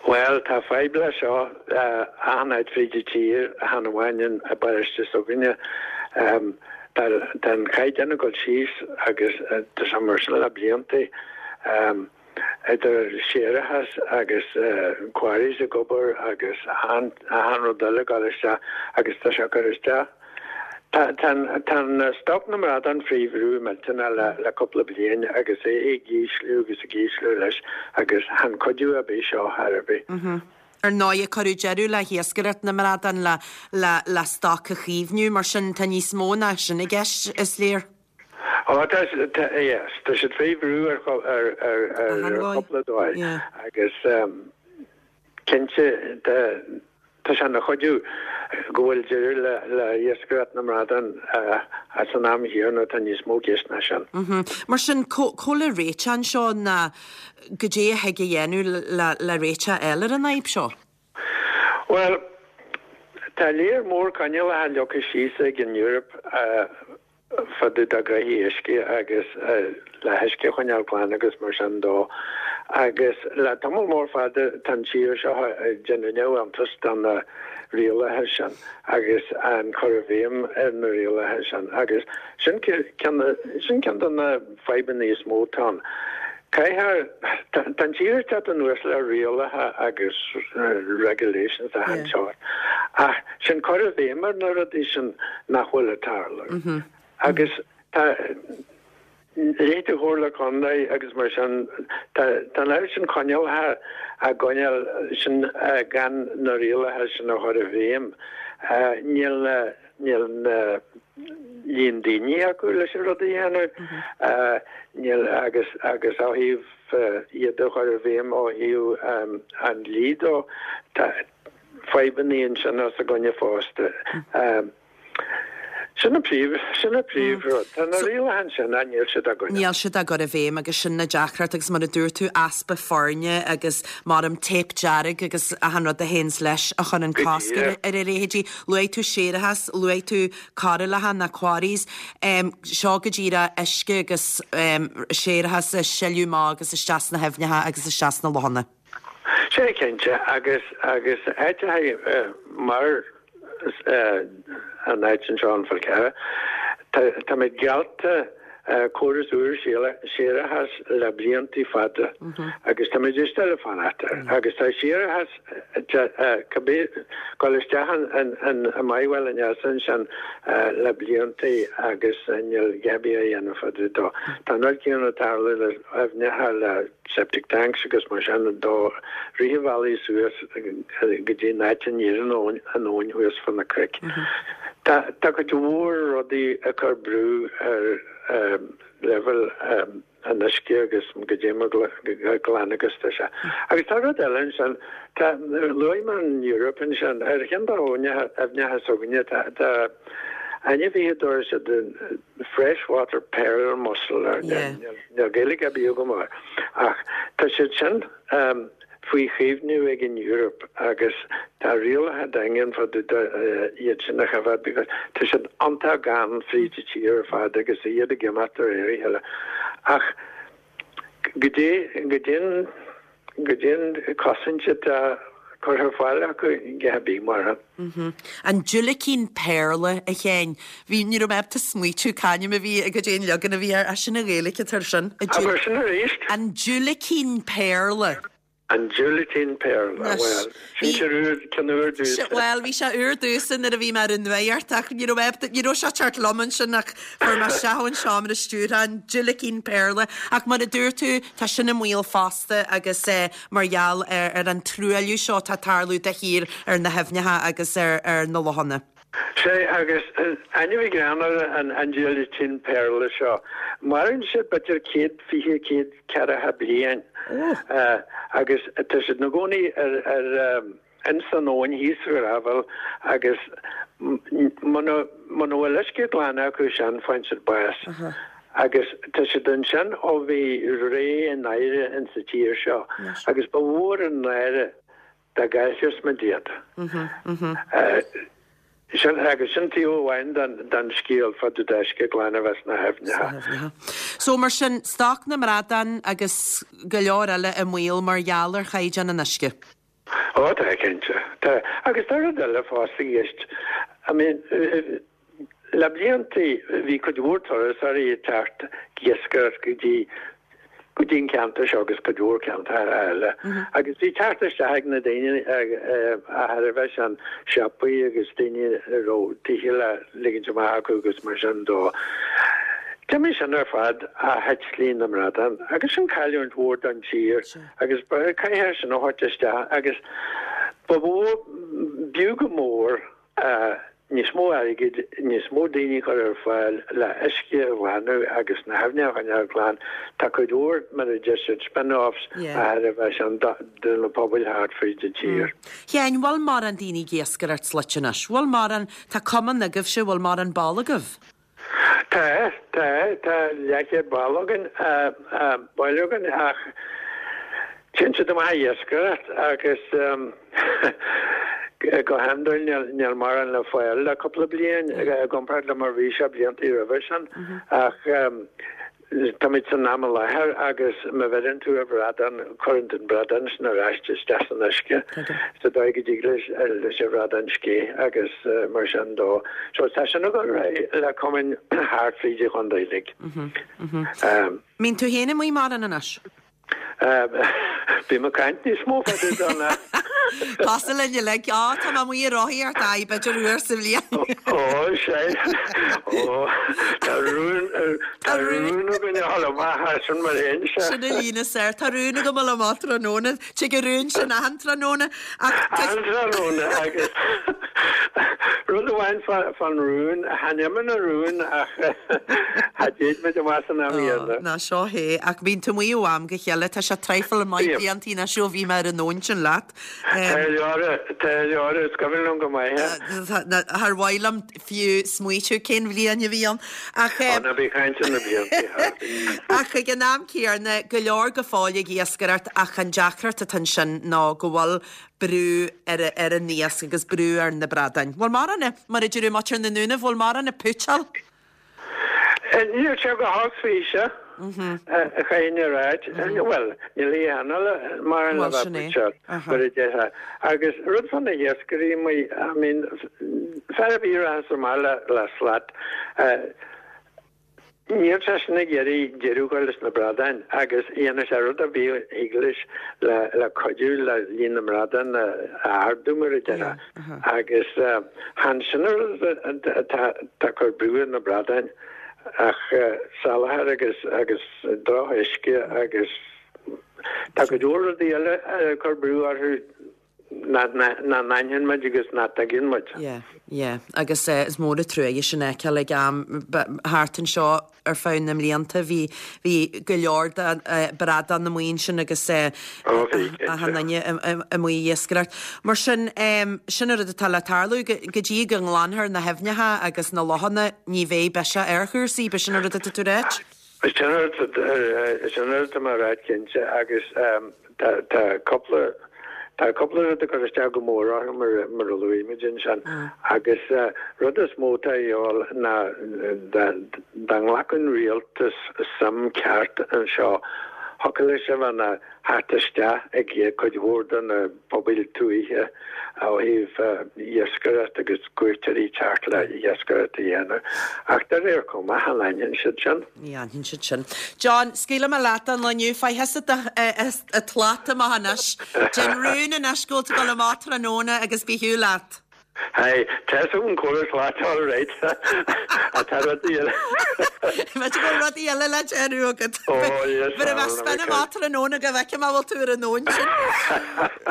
Speaker 5: Bhuel, tá fadhb leis seo achan áit fríd an tír, chan amháin i bparóiste s'againne. Tá an caighdeán ag dul síos agus tá sé mar sin le blianta. Idir séarachas agus quarries ag obair agus achan rud eile ag dul isteach agus tá sé ag cur isteach. Tá an stoc na mbradán faoi bhrú millteanach le cúpla bliain agus é ag ísliú agus ag ísliú leis agus chan cuidiú ar bith seo chor ar bith.
Speaker 1: Ar ndóigh, cuireadh deireadh le hiascaireacht na mbradán le stoc a chaomhnú, mar sin tá níos mó ná sin i gceist, is léir.
Speaker 5: Ó tá, yes, tá siad faoi bhrú ar chúpla dóigh agus cinnte tá sé ina chuidiú go bhfuil deireadh le hiascaireacht na mbradán san am chéanna, tá níos mó i gceist ná sin.
Speaker 1: Mar sin, cá bhfuil an réiteach anseo ná goidé a thig a dhéanamh le réiteach a fháil ar an fhadhb seo?
Speaker 5: Bhuel, tá léar mór coinníollacha leagtha síos ag an Eoraip fá dtaobh de ghnoithí uisce agus le huisce a choinneáil glan agus mar sin dó. Agus le tamall mór fada tá an tír seo ag déanamh neamhiontas de na rialacha sin agus an cur i bhfeidhm ar na rialacha sin. Agus sin sin ceann de na fadhbanna is mó atá ann. Caithfear, tá an tír ag teacht anuas le rialacha agus regulations achan sórt, ach sin cur i bhfeidhm ar na rudaí sin nach bhfuil ag tarlú. Agus tá leithéid de Chomhairle Contae agus mar sin, tá an oiread sin coinníollacha á gcoinneáil sin gan na rialacha sin a chur i bhfeidhm. Níl na, níl na líon daoine acu leis an rud a dhéanamh. Níl, agus, agus ó thaobh iad a chur i bhfeidhm ó thaobh an dlí dó, tá fadhbanna ansin os a gcoinne fosta. Sin an príomh, sin an príomh-rud. Tá na rialacha ansin ach níl siad á gcoinneáil.
Speaker 1: Níl siad á gcur i bhfeidhm agus sin na deacracht agus mar a dúirt tú, easpa foirne agus maram téip dearg agus achan rud a théanns leis a chuireann cosc ar a leithéidí. Luaigh tú séarachas, luaigh tú cairéalacha ná quarries. Seo go díreach uisce agus séarachas ag sileadh amach agus isteach sna haibhneacha agus isteach sna lochanna.
Speaker 5: Sea, cinnte, agus, agus áiteacha mar an áit anseo an Fál Carrach. Táimid geallta córas úr séarachais le blianta fada agus táimid still ag fanacht air. Agus tá séarachas cibé dul isteach i Maigh Bhaile an Easa ansin le blianta agus níl a dhath ar bith á dhéanamh fá dtaobh dó. Tá an rud céanna ag tarlú le aibhneacha le septic tanks agus mar sin dó rith an bhealaigh suas go dtí an áit a n-éiríonn an abhainn thuas fá na cnoic. Tá tá cuid mhór rudaí ag cur brú ar leibhéal an uisce agus goidé mar glan agus tá sé. Agus tá rud eile ansin, tá luaigh mé an Eoraip ansin, ar cheann de na haibhneacha s'againne tá tá ainmhithe a dtabharann siad freshwater pearl mussel ar níl Gaeilge ar bith agam air ach tá siad sin faoi chaomhnú ag an Eoraip agus tá rialacha daingean fá dtaobh iad sin a choimhéad because tá siad iontach gann fríd an tír ar fad agus iad ag imeacht de réir a chéile. Ach goidé goidé an goidé an cosaint atá curtha ar fáil acu go bí mar.
Speaker 1: An diúilicín péarla, a Sheáin. Bhí, ní raibh mé ábalta smaoitiú c'ainm a bhí, goidé an leagan a bhí air, sin an Ghaeilge atá air sin.
Speaker 5: Abair sin arís.
Speaker 1: An diúilicín péarla.
Speaker 5: An diúilicín péarla, bhuel, sin sé úr, ceann úr domhsa.
Speaker 1: Bhuel, bhí sé úr domhsa nuair a bhí mé ar an nuacht ach ní raibh mé ábalta, ní raibh sé ag teacht liom ansin ach fuair mé isteach ón seomra stiúrtha, an diúilicín péarla. Ach mar a dúirt tú, tá sin i mbaol fosta agus eh, mar gheall ar, ar an truailliú seo atá ag tarlú de shíor ar na haibhneacha agus ar, ar na lochanna.
Speaker 5: Sea, agus ainmhí greannmhar an, an diúilicín péarla seo. Maireann siad b'fhéidir céad fiche, céad ceathracha bliain. Agus tá siad ina gcónaí ar, ar, ins an abhainn thíos sa ghrábhal agus muna, muna bhfuil uisce glan acu sin faigheann siad bás. Agus tá siad ansin ó bhí ré an náire ins an tír seo agus ba mhór an náire dá gcaillfeadh muid iad. Sin, agus sin taobh amháin den scéal fá dtaobh d'uisce glan a bheith sna haibhneacha.
Speaker 1: So mar sin, stoc na mbradán agus go leor eile i mbaol mar gheall ar chaighdeán an uisce.
Speaker 5: Ó tá, cinnte. Tá. Agus tá rud eile fosta i gceist. I mean, le blianta bhí cuid mhór turasóirí ag teacht ag iascaireacht go dtí go dtí an ceantar seo agus cuid mhór ceantar eile. Agus bhí teacht isteach ag na daoine a thairbhe sin, siopaí agus daoine a raibh tithe le ligint amach acu agus mar sin dó. D'imigh sin ar fad ó thit líon na mbradán agus sin cailliúint mhór don tír agus caithfear sin a thabhairt isteach agus ba mhór, b'fhiú go mór níos mó airgid, níos mó daoine a chur ar fáil le uisce a ghlanadh agus na haibhneacha a choinneáil glan. Tá cuid mhór, mar a deir siad, spin-offs a thairbhe sin do na pobail thart fríd an tír.
Speaker 1: Sheáin, bhfuil mórán daoine ag iascaireacht sluit anois? Bhfuil mórán, tá cumann agaibhse, bhfuil mórán ball agaibh?
Speaker 5: Tá, tá, tá leathchéad ball againn, baill againn ach téann siad amach ag iascaireacht agus go hiondúil níl mórán le fáil le cúpla bliain i gcomparáid le mar bhí sé blianta roimhe sin ach táimid san am i láthair agus má bheireann tú ar bhradán, cuireann tú an bradán sin ar ais isteach san uisce sa dóigh go dtig leis leis an bhradán scéith agus mar sin dó. So tá sin ag dul ar aghaidh le cumainn thart fríd an chontae uilig.
Speaker 1: Mbíonn tú féin amuigh mórán anois?
Speaker 5: Bím ag caint níos mó fá dtaobh dó ná.
Speaker 1: Cosúil linn uilig. Á, tá mé amuigh ag rothaíocht, aye, b'fhéidir uair sa bhliain.
Speaker 5: Ó, sea. Ó, tá rún, tá rún againn a dhul amach as sin mar aon, sea.
Speaker 1: Sin an líne is fearr. Tá rún agam a dhul amach tráthnóna. Tig an rún sin achan tráthnóna. Ach tá.
Speaker 5: Achan tráthnóna agus rud amháin fán rún, chan imíonn an rún ach cha dtéid muid amach san am chéanna.
Speaker 1: Ná seo é, ach bíonn tú amuigh ó am go chéile, tá sé traidhfil maith bliantaí anois ó bhí mé ar an abhainn sin leat.
Speaker 5: Tá leor, tá leor, is cuimhin liom go maith é.
Speaker 1: Char mhaith liom fiú smaoitiú cén bhliain a bhí ann. Ach.
Speaker 5: Ó, ná bí ag caint ar na blianta.
Speaker 1: Ach ag an am céanna, go leor go fóill ag iascaireacht ach an deacracht atá ansin ná go bhfuil brú ar ar an iasc agus brú ar na bradáin. Bhfuil mórán, mar a deireadh muintir na nDúnaibh, bhfuil mórán ag púitseáil?
Speaker 5: Níl sé go holc faoi seo, a chaithfinn a ráit. Bhuel, níl a aon mórán le bheith ag púitseáil, mar a déarfá. Agus rud fá na hiascairí amuigh, I mean, fear ar bith a rachas amach le slat, Níl seisean ag iarraidh deireadh a chur leis na bradáin agus dhéanfadh sé rud ar bith a thig leis le cuidiú le líon na mbradán a ardú, mar a déarfá. Agus chan sin an rud atá ag cur brú ar na bradáin ach salachar agus agus drochuisce agus tá go leor rudaí eile ag cur brú orthu. nach n-aithníonn muid agus nach dtuigeann muid.
Speaker 1: Yeah, yeah. Agus is mór an truaighe sin a fheiceáil ag am thart anseo ar feadh na mblianta bhí bhí go leor de bradán amuigh ansin agus achan duine amuigh ag iascaireacht. Mar sin, sin an rud atá le tarlú go dtí go nglanfar na haibhneacha agus na lochanna ní bheidh biseach ar chúrsaí, b'shin an rud atá tú a ráit?
Speaker 5: Sin an rud atá mé a ráit cinnte agus tá cúpla Tá cúpla rud ag cur isteach go mór orthu mar mar a luaigh muid ansin agus rud is mó atá a dhíobháil ná dá dá nglacfadh an rialtas suim ceart anseo thiocfadh leis a bheith ina theacht isteach ag cuid mhór de na pobail tuaithe ó thaobh iascaireacht agus cuairteoirí teacht le iascaireacht a dhéanamh ach de réir cuma chan aithníonn siad sin.
Speaker 1: Ní aithníonn siad sin. John, scaoilfidh mé leat don lá inniu. Faigh thusa do shlat amach anois. Déan rún anois go bhfuil tú ag dul amach tráthnóna agus bí ar shiúl leat.
Speaker 5: Hey, tá an córas leat all right. Tá rudaí eile.
Speaker 1: B'fhéidir go bhfuil rudaí eile le déanamh agat.
Speaker 5: Oh, yes.
Speaker 1: Bheir mé spin amach tráthnóna go bhfeicfidh mé bhfuil tú ar an nóin sin.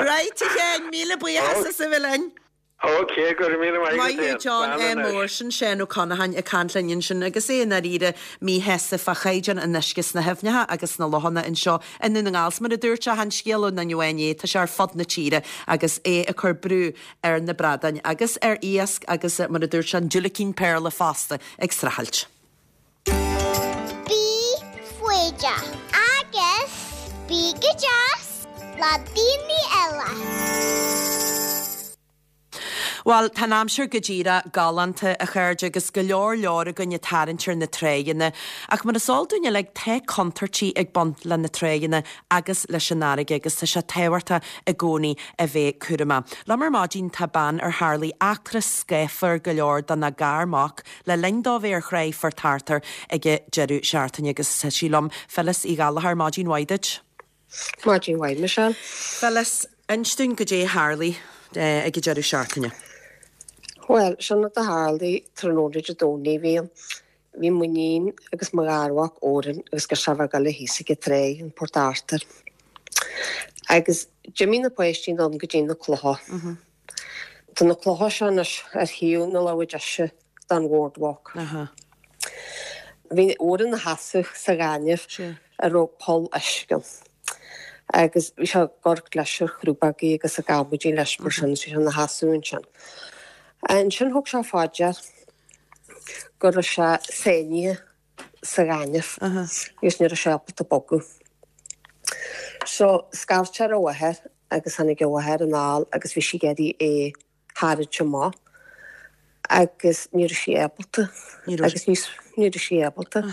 Speaker 1: Right, a Sheáin, míle buíochas as a bheith linn.
Speaker 5: Ok, go raibh míle maith agat
Speaker 1: Maith thú John
Speaker 5: Slán anois.
Speaker 1: Mór, sin Seán Ó Conacháin ag caint linn ansin agus é i ndáiríre míshásta fá chaighdeán an uisce sna haibhneacha agus sna lochanna anseo i nDún na nGall. 'S mar a dúirt sé, chan scéal ó dhuine amháin é, tá sé ar fud na tíre agus é ag cur brú ar na bradáin agus ar iasc agus mar a dúirt sé an diúilicín péarla fosta ag streachailt.
Speaker 3: Bí foighdeach agus bí go deas le daoine eile.
Speaker 1: Bhuel, tá an aimsir go díreach galánta, a chairde, agus go leor leor againn ag tarraingt ar na tráigheanna. Ach mar is eol dúinn uilig, tá contúirtí ag baint le na tráigheanna agus leis an fharraige agus tá sé tábhachtach i gcónaí a bheith cúramach. Liom ar maidin tá bean ar tharlaigh eachtra scáfar go leor dona garmhac le linn dó bheith ar thráigh Phort Arthur ag an deireadh seachtaine agus tá sí liom, Phyllis Uí Ghallchóir, maidin mhaith duit.
Speaker 6: Maidin mhaith, Michelle.
Speaker 1: Phyllis, inis dúinn goidé a tharlaigh ag an deireadh seachtaine.
Speaker 6: Bhuel, sin rud a tharlaigh tráthnóna Dé Domhnaigh. Bhí bhí m'iníon agus mo gharmhac Odhrán agus go raibh ag dul thíos ag an tráigh in Port Arthur. Agus d'imigh na páistí anonn go dtí na clocha. Tá na clocha seo anois ar thaobh na láimhe deise den bhoardwalk. Bhí Odhrán ina sheasamh sa ghaineamh a raibh poll uisce ann. Agus bhí sé ag amharc leis ar chrúbógaí agus ag amaidí leis mar sin, bhí sé ina sheasamh ansin. Ansin thug sé fá dear go raibh sé sáinnithe sa ghaineamh agus ní raibh sé ábalta bogadh. So scairt sé ar a mháthair agus tháinig a mháthair anall agus bhí sí ag iarraidh é tharraingt amach agus ní raibh sí ábalta agus ní ní raibh sí ábalta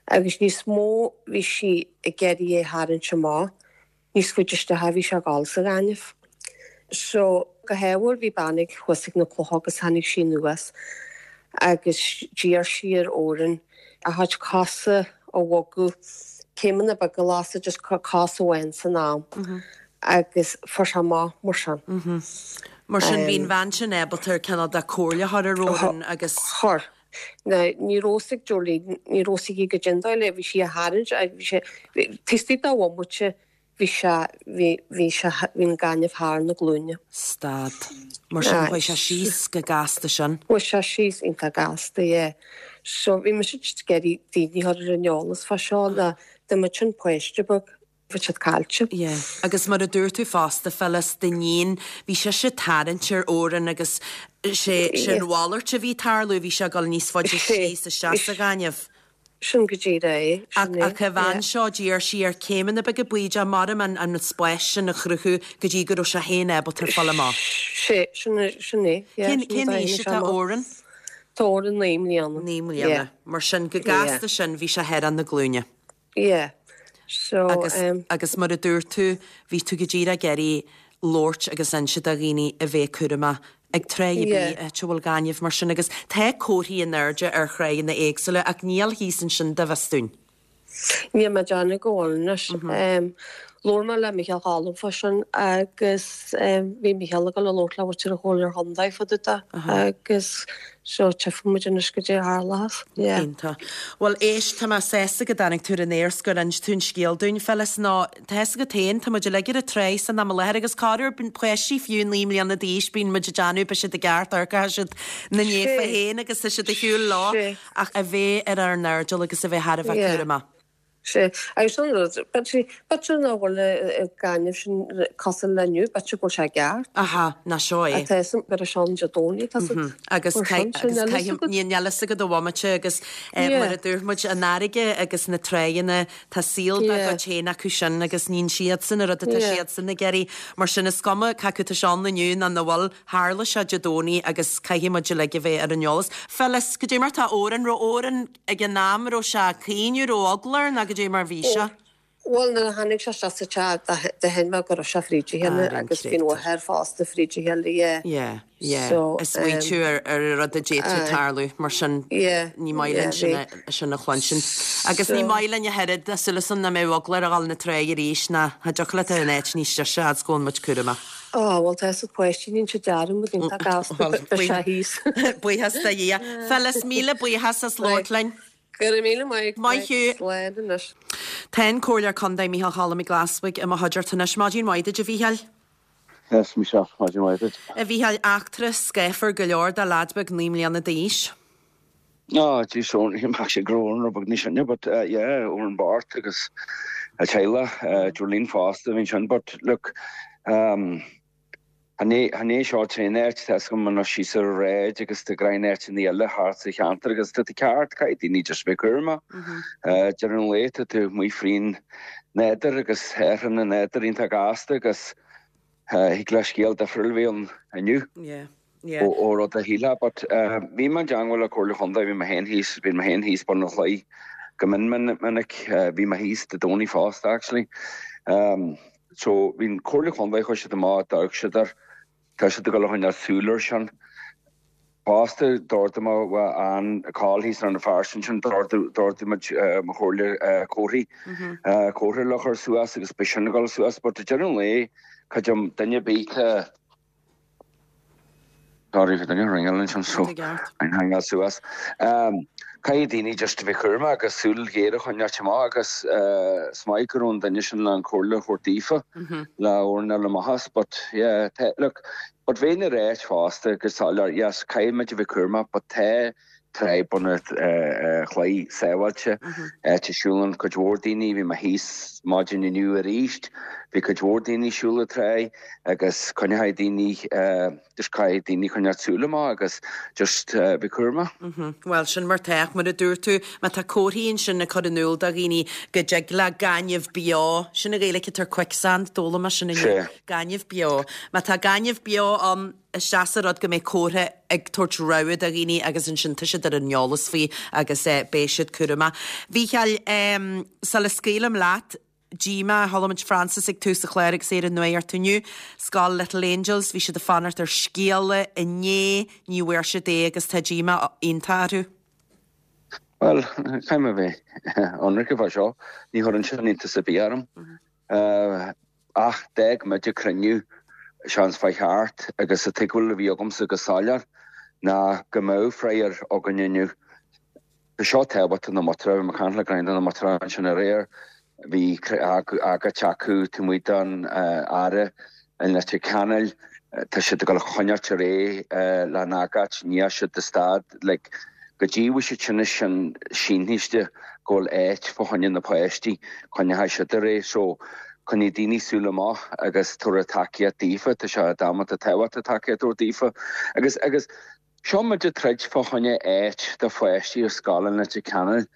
Speaker 6: agus níos mó bhí sí ag iarraidh é tharraingt amach níos faide isteach a bhí sé ag dul sa ghaineamh. So go hádhúil bhí bean ag thuas ag na clocha agus tháinig sí anuas agus d'iarr sí ar Odhrán a chuid cosa a bhogadh céimeanna beaga lasadh just cos amháin san am agus fuair sé amach mar sin.
Speaker 1: Mar sin bhí an bhean sin ábalta ar cineál de comhairle a chur ar Odhrán agus.
Speaker 6: Chuir. Now ní raibh fhios ag Jolene, ní raibh fhios aici goidé an dóigh le, bhí sí á tharraingt, bhí sé, taobh istigh de bhomaite Bhí sé, bhí, bhí sé, bhí an gaineamh thar na glúine.
Speaker 1: Stad. Mar sin chuaigh sé síos chomh gasta sin.
Speaker 6: Chuaigh sé síos iontach gasta, yeah. So bhí mise just ag iarraidh daoine a chur ar an eolas fá seo ná dá mbeadh sin páiste beag, bheadh siad caillte.
Speaker 1: Yeah. Agus mar a dúirt tú fosta, Phyllis, d'iníon, bhí sise ag tarraingt ar Odhrán agus sé, sé an mhalairt a bhí ag tarlú, bhí sé ag dul níos faide síos isteach sa ghaineamh.
Speaker 6: Sin go díreach é. Sin é.
Speaker 1: Ach an bhean seo, d'iarr sí air céimeanna beaga bídeacha mar an an spás sin a chruthú go dtí go raibh sé féin ábalta fáil amach.
Speaker 6: Sé, sin é, sin é, yeah.
Speaker 1: Cén, cén aois atá Odhrán?
Speaker 6: Tá Odhrán naoi mbliana.
Speaker 1: Naoi mbliana. Mar sin, go gasta sin, bhí sé thar na glúine.
Speaker 6: Yeah. So,
Speaker 1: Agus, agus mar a dúirt tú, bhí tú go díreach ag iarraidh labhairt agus inse do dhaoine a bheith cúramach ag tráigh ar bith, áit a bhfuil gaineamh mar sin agus tá comharthaí in airde ar thráigheanna éagsúla ach níl thíos ansin, dá bhfios dúinn.
Speaker 6: Níl mé ag déanamh go bhfuil anois. Labhair mé le Micheál Choilm fá sin agus bhí Micheál ag dul a labhairt le muintir an Chomhairle Chontae fá dtaobh de agus seo tchífidh muid anois goidé a tharlós. Yeah.
Speaker 1: Iontach. Bhuel éist, tá mé sásta go dtáinig tú ar an aer 's gur inis tú an scéal dúinn, Phyllis, nó tá fhios agat féin, tá muid uilig ar an tráigh san am i láthair agus corruair bíonn páistí fiú naoi mbliana d'aois, bíonn muid ag déanamh, beidh siad i gceart, amharc tá siad na naofa féin agus tá siad ar shiúl leo ach a bheith ar ár n-airdeall agus a bheith thar a bheith cúramach.
Speaker 6: Sea, agus sin rud, b'fhéidir nach bhfuil an gaineamh sin cosúil le inniu, b'fhéidir go bhfuil sé ceart.
Speaker 1: Aha, ná seo é.
Speaker 6: Tá fhios gur é an Dé Domhnaigh, tá siad.
Speaker 1: Agus níl a fhios agat ó bhomaite agus mar a dúirt muid, an fharraige agus na tráigheanna, tá saol dá gcuid féin acu sin agus níonn siadsan an rud atá siadsan ag iarraidh. Mar sin is cuma cé acu tá sé ann inniu nó nach bhfuil, tharla sé Dé Domhnaigh agus caithfidh muid uilig a bheith ar an eolas. Phyllis, goidé mar tá Odhrán, raibh Odhrán ag an am, raibh sé ag caoineadh, raibh eagla air nó goidé mar bhí sé?
Speaker 6: Bhuel, nuair a tháinig sé isteach sa teach, d'aithin mé go raibh sé fríd a chéile agus bhí an mháthair fosta fríd a chéile, yeah.
Speaker 1: Yeah, yeah. Ag smaointiú ar ar an rud a d'fhéadfadh tarlú, mar sin ní maith linn sin a sin a chluinstin. Agus ní maith linn ach oiread, tá súil agam nach mbeidh eagla air a dhul na tráigh arís ná cha dtiocfadh leat in áit níos deise fhad 's go bhfuil muid cúramach.
Speaker 6: Á, bhuel, tá fhios ag páistí, níonn siad dearmad iontach gasta, beidh sé thíos.
Speaker 1: Buíochas do Dhia. Phyllis, míle buíochas as labhairt linn.
Speaker 6: Go raibh míle maith agat.
Speaker 1: Maith thú.
Speaker 6: Slán anois.
Speaker 1: Tá an Comhairleoir Contae Micheál Cholm Mac Glasbhaigh i mo chuideachta anois. Maidin mhaith duit, a Mhícheáil.
Speaker 7: Yes, Michelle, maidin mhaith duit.
Speaker 1: A Mhícheáil, eachtra scáfar go leor do leaid beag naoi mbliana d'aois.
Speaker 7: Oh, geez, so mbeadh sé go raibh beag níos sine, but uh, yeah, Odhrán bocht agus a teaghlach, uh, Jolene fosta bhí sin, but look, um, Chan é seo an t-aon áit, tá fhios agam anois síos ar an Ráid agus tá greim áiteanna eile thart sa cheantar agus tá tú ceart, caithfidh daoine just bheith cúramach. Deireadh an lae tá tú amuigh frín nádúr agus athraíonn an nádúr iontach gasta agus thig le scéal difriúil a bheith ann inniu ó rud a shílfeá. But bhí mé i dteangmháil le Comhairle Chontae, bhí mé féin thíos, bhí mé féin thíos bun an chlaí go mion minic, bhí mé thíos Dé Domhnaigh fosta actually. So bhí an Comhairle Chontae, chuaigh siad amach, d'amharc siad air, tá siad ag dul a choinneáil súil air sin. Fosta, d'ordaigh mé an call thíos ar na Feirste ansin, d'ordaigh muid mo chomhairle comharthaí, comhartha le chur suas agus beidh sin ag dul suas. But ag deireadh an lae, creidim duine ar bith a. Sorry bhí duine ag ringeáil ansin so I'm hanging suas. Caithfidh daoine just a bheith cúramach agus súil ghéar a choinneáilt amach agus is maith go raibh an duine sin le an comhairle a thabhairt daofa le Odhrán a fháil amach as but yeah look but bheinn ag ráit fosta go soiléir yes caithfidh muid a bheith cúramach but tá Tráigh Bun an Chlaí sábháilte, áit a siúlann cuid mhór daoine, bhí mé thíos maidin inniu arís, bhí cuid mhór daoine ag siúl an tráigh agus coinneoidh daoine, just caithfidh daoine coinneáil súil amach agus just bheith cúramach.
Speaker 1: Bhuel, sin mar tá, ach mar a dúirt tú, má tá comharthaí ansin ag cur in iúl do dhaoine go dtig le gaineamh beo, sin an Ghaeilge atá ar quicksand, d'fhoghlaim mé sin inniu, gaineamh beo. Má tá gaineamh beo ann, isteach sa rud go mbeidh comhartha ag tabhairt rabhadh do dhaoine agus ansin tá siad ar an eolas faoi agus beidh siad cúramach. A Mhícheáil, sula scaoilim leat, díomá, chuala muid Francis ag tús an chláir agus é ar an nuacht inniu, Scoil Little Angels, bhí siad ag fanacht ar scéala inné, ní bhfuair siad é agus tá díomá iontach orthu.
Speaker 7: Bhuel, caithfidh mé a bheith ionraic fá seo, ní chuireann sin iontas ar bith orm. Ach d'fhág muid an cruinniú seans fá cheart agus an tuigbheáil a bhí agamsa go soiléir ná go mbeadh freagra againn inniu. Tá seo tábhachtach do na muintire, bhí mé ag caint le greim de na muintire ansin aréir, bhí agóid acu taobh amuigh den Aire i Leitir Ceanainn, tá siad ag dul a choinneáilt ar aghaidh leis an agóid, ní dheachaigh siad de stad, like, go dtí bhfuil siad sin sin sínthiste go bhfuil áit fá choinne na páistí, coinneoidh siad ar aghaidh. So, coinneoidh daoine súil amach agus tabhair tacaíocht daofa, tá sé damanta tábhachtach tacaíocht a thabhairt daofa. Agus, agus seo muid ag troid fá choinne áit do pháistí ar scoil i Leitir Ceanainn.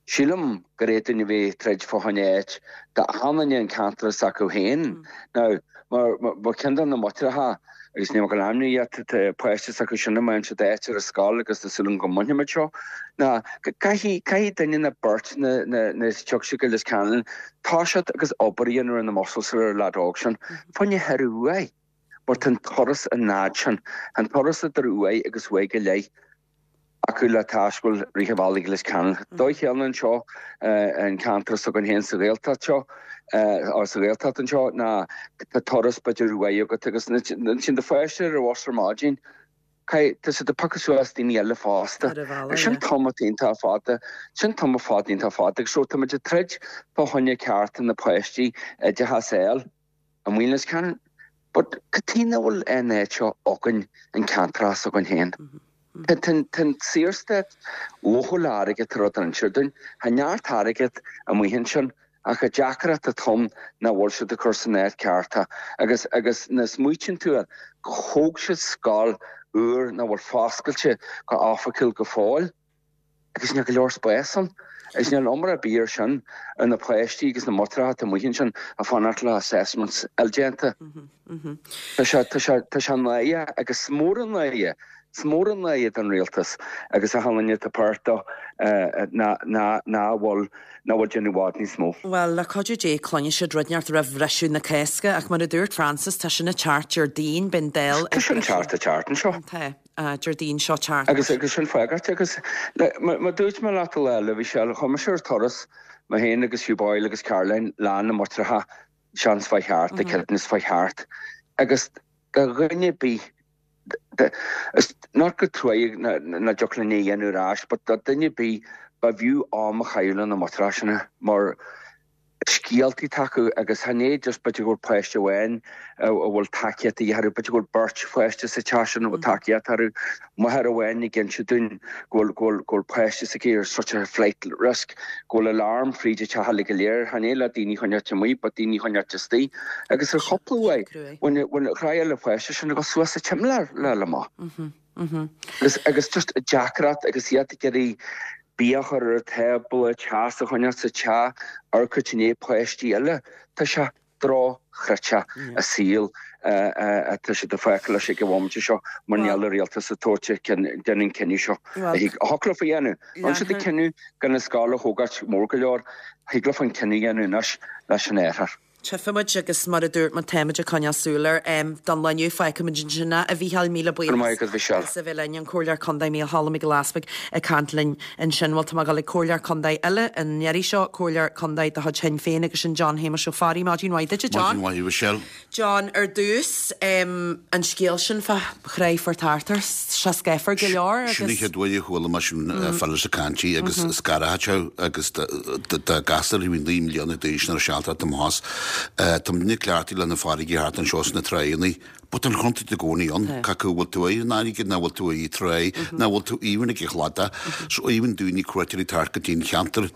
Speaker 7: Sílim gur fhéadfadh duine a bheith ag troid fá choinne áit d'achan duine an ceantar s'acu féin. Now, mar, mar ceann de na muintreacha, agus níl mé ag dul ainmniú iad, tá páiste s'acu sin a mbain siad áit ar an scoil agus tá súil agam go mbainfimid seo, ná caithfidh, caithfidh duine nó beirt na, na, na tiocfaidh siad go Lios Ceanainn, toiseacht agus obair a dhéanamh ar na muscles ar an leaid óg sin, fá choinne thar uaidh, mar tá an turas an fhad sin, an turas idir uaigh agus uaigh go leith. acu le taisteal rith an bhealaigh go Lios Ceanainn. Dóigh chéanna anseo an ceantar s'againn féin sa Ghaeltacht seo, Sa Ghaeltacht anseo ná tá turas b'fhéidir uaidh agat agus ansin do pháiste ar an bhus ar maidin, tá siad ag piocadh suas daoine eile fosta. Sin tamall iontach fada, sin tamall fada iontach fada agus so tá muid ag troid fá choinne cearta na páistí oideachas a fháil amuigh in Leitir Ceanainn. But cad chuige nach bhfuil an áit seo againn, an ceantar s'againn féin? Tá an Saorstát lofa le airgead tá rud ar inse dúinn. Tá neart airgead amuigh ansin ach an deacracht atá ann nach bhfuil siad ag cur san áit ceart é agus agus nuair a smaoitíonn tú air gur thóg siad scoil úr nach bhfuil foscailte go oifigiúil go fóill agus níl go leor spáis ann agus níl iomarca ar bith air sin ar na páistí agus na máithreacha atá amuigh ansin ag fanacht le assessments a fháil déanta. Tá sé tá sé tá sé náireach agus is mór an náire is mór an náire don rialtas agus achan duine atá páirteach nach bhfuil nach bhfuil déanamh i bhfad níos mó.
Speaker 1: Bhuel, le cuidiú Dé, cluinfidh siad rud inteacht roimh bhriseadh na Cásca, ach mar a dúirt Francis, tá sin ag teacht Déardaoin, beidh an Dáil
Speaker 7: Tá sin teacht ag teacht anseo.
Speaker 1: Tá, Déardaoin seo teacht.
Speaker 7: Agus agus sin freagairt agus mar dúirt mé leat an lá eile, bhí sé, chuaigh mise ar turas, mé féin agus Hugh Boyle agus Caroline, lá na mBaintreacha, seans fá cheart, a céad fá cheart agus do dhuine ar bith Is not go truaigh nach dtiocfadh linn é a dhéanamh ar ais, but do dhuine ar bith ba bhfiú am a chaitheamh le na máithreacha sin mar scéaltaí atá acu agus chan é just b'fhéidir go bhfuil páiste amháin a bhfuil tacaíocht de dhíth orthu, b'fhéidir go bhfuil beirt pháiste sa teach sin a bhfuil tacaíocht orthu, máthair amháin ag inse dúinn go bhfuil go bhfuil go bhfuil páiste s'aici ar such a flight risk go bhfuil alarm fríd an teach uilig go léir, chan é le daoine a choinneáilt amuigh but daoine a choinneáilt istigh agus ar chúpla uaidh bhain bhain chraith le páiste sin ag dul suas sa tsimléar le le maith. Agus agus just deacracht agus iad ag iarraidh bia a chur ar an tábla, teas a choinneáil sa teach, amharc i ndiaidh páistí eile. Tá sé drochchreidte an saol atá siad ag fágáil leis ag an bhomaite seo mar níl an rialtas ag tabhairt déanamh an cinneadh seo. A thiocfadh leofa a dhéanamh. Rinne siad an cinneadh gan an scoil a thógáilt mór go leor, thig leofa an cinneadh a dhéanamh anois leis an oirthear.
Speaker 1: Tchífimid agus mar a dúirt muid táimid ag coinneáil súil air don lá inniu. Fágfaimid ansin é, a Mhícheáil. Míle
Speaker 7: Go raibh maith agat, a Mhichelle.
Speaker 1: as a bheith linn, an Comhairleoir Contae Mícheál Choilm Mac Giolla Easpaig ag caint linn ansin. Bhuel, tá mé ag dul ag Comhairleoir Contae eile an iarraidh seo, Comhairleoir Contae de chuid Shinn Féin agus sin John Shéamuis Ó Fearraigh. Maidin mhaith duit, a John.
Speaker 8: Maidin mhaith, a Mhichelle.
Speaker 1: John, ar dtús, an scéal sin fá Thráigh Phort Arthur, sé scáfar go leor agus.
Speaker 8: Sin an chéad uair a chuala mé sin fá sa caint agus scartha agus do gasúr a bhí naoi mbliana d'aois nuair a sealta amach Tá muidne cleachtaithe le na farraigí thart anseo sna tráigheanna, but an chontúirt i gcónaí ann, cé acu bhfuil tú ar an fharraige nó bhfuil tú ar an tráigh nó bhfuil tú even ag an chladach. So even daoine cuairteoirí thart go dtí an cheantar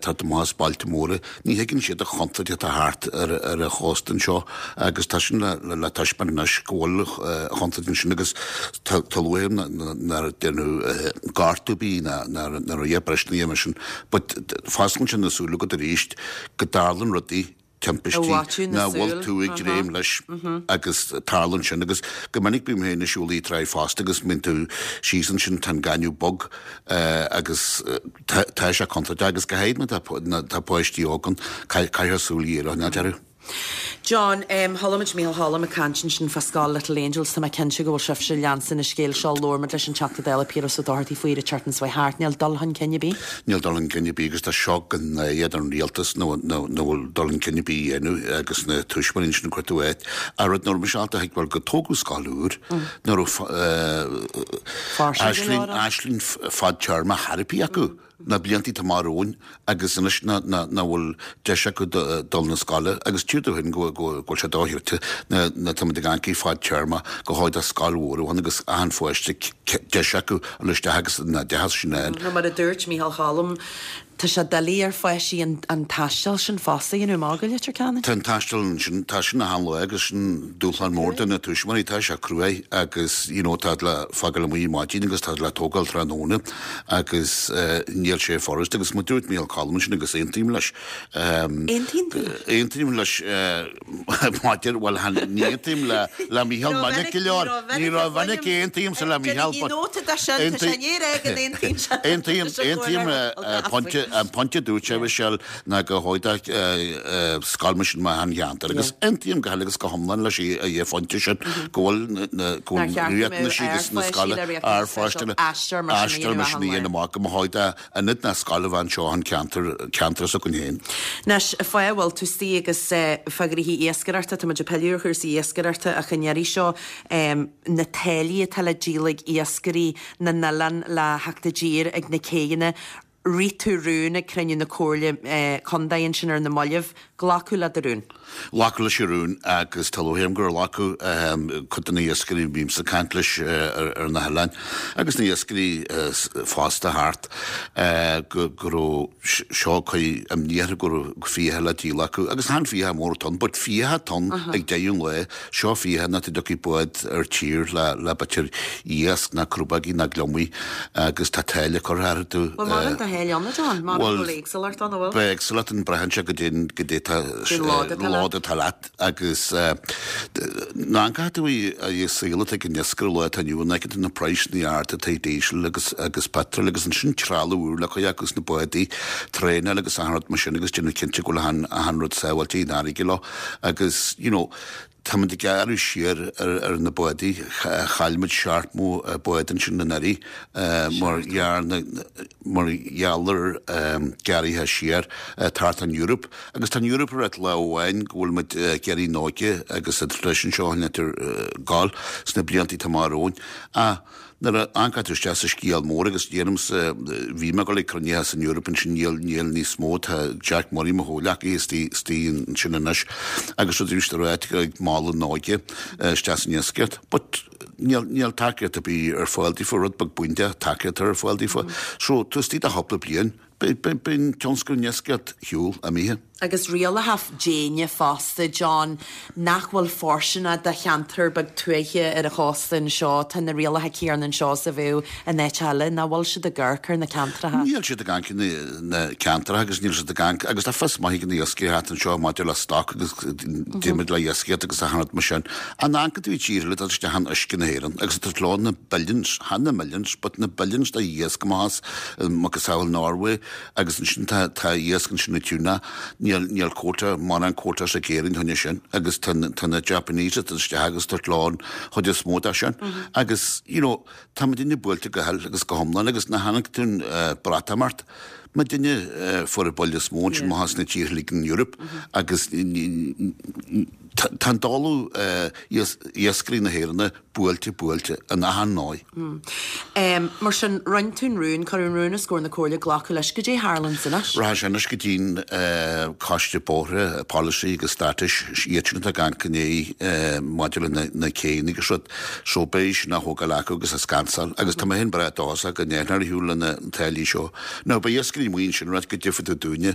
Speaker 8: thart amach as bailte móra, ní thuigeann siad an chontúirt atá thart ar ar an chósta anseo agus tá sin le le taispeáint anois go bhfuil an chontúirt ansin agus tá tá luath nár déanadh gortú ar bith ná ná ná raibh bristeacha mar sin but fosclaíonn sin na súile agat arís go dtarlann rudaí timpistí nach bhfuil tú ag dréim leis agus tarlaíonn sin agus go minic bím féin ag siúl an tráigh fosta agus mbíonn tú síos ansin tá an gaineamh bog agus tá sé contúirteach agus go háirid má tá páistí óg ann caithfear súil ghéar a choinneáilt orthu.
Speaker 1: John, Chuala muid Mícheál Choilm ag caint ansin fá scoil Little Angels, tá mé cinnte go bhfuil sibhse ag leanstan an scéil seo, labhair muid leis an Teachta Dála Piaras Ó Dochartaigh faoi an tseachtain seo thart, níl dul chun cinn ar bith?
Speaker 8: Níl dul chun cinn ar bith agus tá seo go náire don rialtas nach bhfuil dul chun cinn ar bith a dhéanamh agus na tuismitheoirí ansin ag cuartú áit. An rud nach raibh mise ábalta a thuigbheáil go tógadh scoil úr, nach raibh aisling fadtéarma therapy acu. na blianta atá amach romhainn agus anois nach bhfuil deis acu dul na scoile agus tchítear dúinn go bhfuil sé dochreidte na táimid ag caint fadtéarma go háid as scoil mhór amháin agus achan pháiste deis acu dul isteach agus an oideachas sin a fháil.
Speaker 1: Nó mar a dúirt Mícheál Choilm, tá sé doiligh ar pháistí an taisteal sin fosta a dhéanamh amach go Leitir Ceanainn.
Speaker 8: Tá an taisteal ansin, tá sin achan lá agus sin dúshlán mór do na tuismitheoirí, tá sé cruaidh agus you know tá le fágáil amuigh ar maidin agus tá le tógáil tráthnóna agus níl sé furast agus mar dúirt Mícheál Choilm ansin agus aontaím leis.
Speaker 1: Aontaíonn tú
Speaker 8: leis? Aontaím leis maidir, bhuel ní aontaím le le Mícheál minic go leor, ní ró-mhinic a aontaímse le Mícheál but Aontaím, aontaím pointe An pointe dúirt sé Michelle ná gur chóir scoil mar sin achan cheantar agus aontaím go huile agus go hiomlán leis an phointe sin go bhfuil na go bhfuil riachtanais agus na scoile ár pháiste
Speaker 1: Aistear mar sin a
Speaker 8: aistear mar sin a dhéanamh amach go mba chóir d'ionad na scoile a bheith anseo an ceantar ceantar s'againn féin.
Speaker 1: Anois, fáth a bhfuil tú istigh agus fá ghnoithí iascaireachta, tá muid ag pilleadh ar chúrsaí iascaireachta ach an iarraidh seo na táillí atá le díol ag iascairí na n-oileán le theacht i dtír ag na céidheanna. Rith tú rún ag cruinniú na Comhairle Contae ansin ar na mallaibh. Glacadh le do rún.
Speaker 8: Glacadh leis an rún agus tá lúcháir orm gur glacadh cuid de na hiascairí a bhímse ag caint leis ar na hoileáin agus na hiascairí fosta thart go raibh seo cuid imní orthu go raibh fiacha le díol acu agus chan fiacha mór atá ann but fiacha atá ann ag deireadh an lae seo fiacha nach dtiocfaidh bád ar tír le le b'fhéidir iasc ná crobógaí ná gliomaigh agus tá táille curtha orthu.
Speaker 1: Bhuel maireann do tháille ann a John, maireann go bhfuil éagsúlacht ann, an bhfuil?
Speaker 8: Beidh éagsúlacht ann braitheann sé goidé goidé tá lód atá leat agus ná an caithfidh tú í saol atá ag an iascaire lá atá inniu ann, feiceann tú na praghsanna arda atá ag díosal agus agus petrol agus ansin trealamh úr le cur acu sna bádaí, traenáil agus achan rud mar sin agus déanamh cinnte go bhfuil achan achan rud sábháilte in fharraige leo agus you know táimid ag gearradh siar ar na bádaí, chaill muid seachtó bád ansin anuraidh mar mar gheall ar gearraithe siar thart an Eoraip. Agus tá an Eoraip ag ráit lá amháin go bhfuil muid ag iarraidh an óige agus an traidisiún seo a choinneáil ag gabháil sna blianta atá amach romhainn. Ach nuair a amharcann tú isteach sa scéal mór agus déanaimse, bhí mé ag dul ag cruinnithe san Eoraip ansin, níl, níl níos mó, tá Jack Murray, mo chomhghleacaí, istigh, istigh ansin anois agus rud arís a ráit ag mealladh an óige isteach san iascaireacht. But níl, níl tacaíocht ar bith ar fáil daofa, rud beag bídeach tacaíocht ar fáil daofa. So, taobh istigh de chúpla bliain, beidh, beidh, beidh an tionscal an iascaireacht shiúl imithe.
Speaker 1: Agus rialacha déine fosta, John, nach bhfuil fóirsteanach do cheantar beag tuaithe ar an chósta anseo, tá na rialacha céanna anseo is a bheadh in áit eile, nach bhfuil siad ag amharc ar na ceantracha?
Speaker 8: Níl siad ag amharc ar na ceantracha agus níl siad ag amharc, agus tá fios maith ag na iascairí thart anseo maidir le stoc agus déanfaimid le iascaireacht agus achan rud mar sin. An amharcann tú i dtír eile, tá isteach in uisce na hÉireann agus tá leo na billions, chan na millions, but na billions de iasc amach as, macasamhail Norway agus ansin tá tá iasc ansin i tuna, níl níl quota, mórán quotas ag Éirinn choinne sin agus tá tá na Japanese ag dul isteach agus tabhairt leo an chuid is mó de sin agus you know tá muidinne buailte go huile agus go hiomlán agus nuair a chonaic tú an Breatimeacht muidinne fuair an buille is mó ansin amach as na tíortha uilig in Europe agus tá an dáileadh iascairí na hÉireann buailte buailte in achan ndóigh.
Speaker 1: Mar sin, rinne tú an rún, cuireadh an rún os comhair na Comhairle, glacadh leis. Goidé a tharlaíonns anois?
Speaker 8: Rachaidh sé anois go dtí'n Coiste Bóithre, Polasaí agus Státais, iad sin atá ag amharc i ndiaidh maidir le na céanna agus rud. So beidh sin á thógáil acu agus á scansáil agus tá mé féin breá dóchasach go ndéanfar ar shiúl le na táillí seo. Now beidh iascairí amuigh ansin ag ráit goidé fá dtaobh dúinne.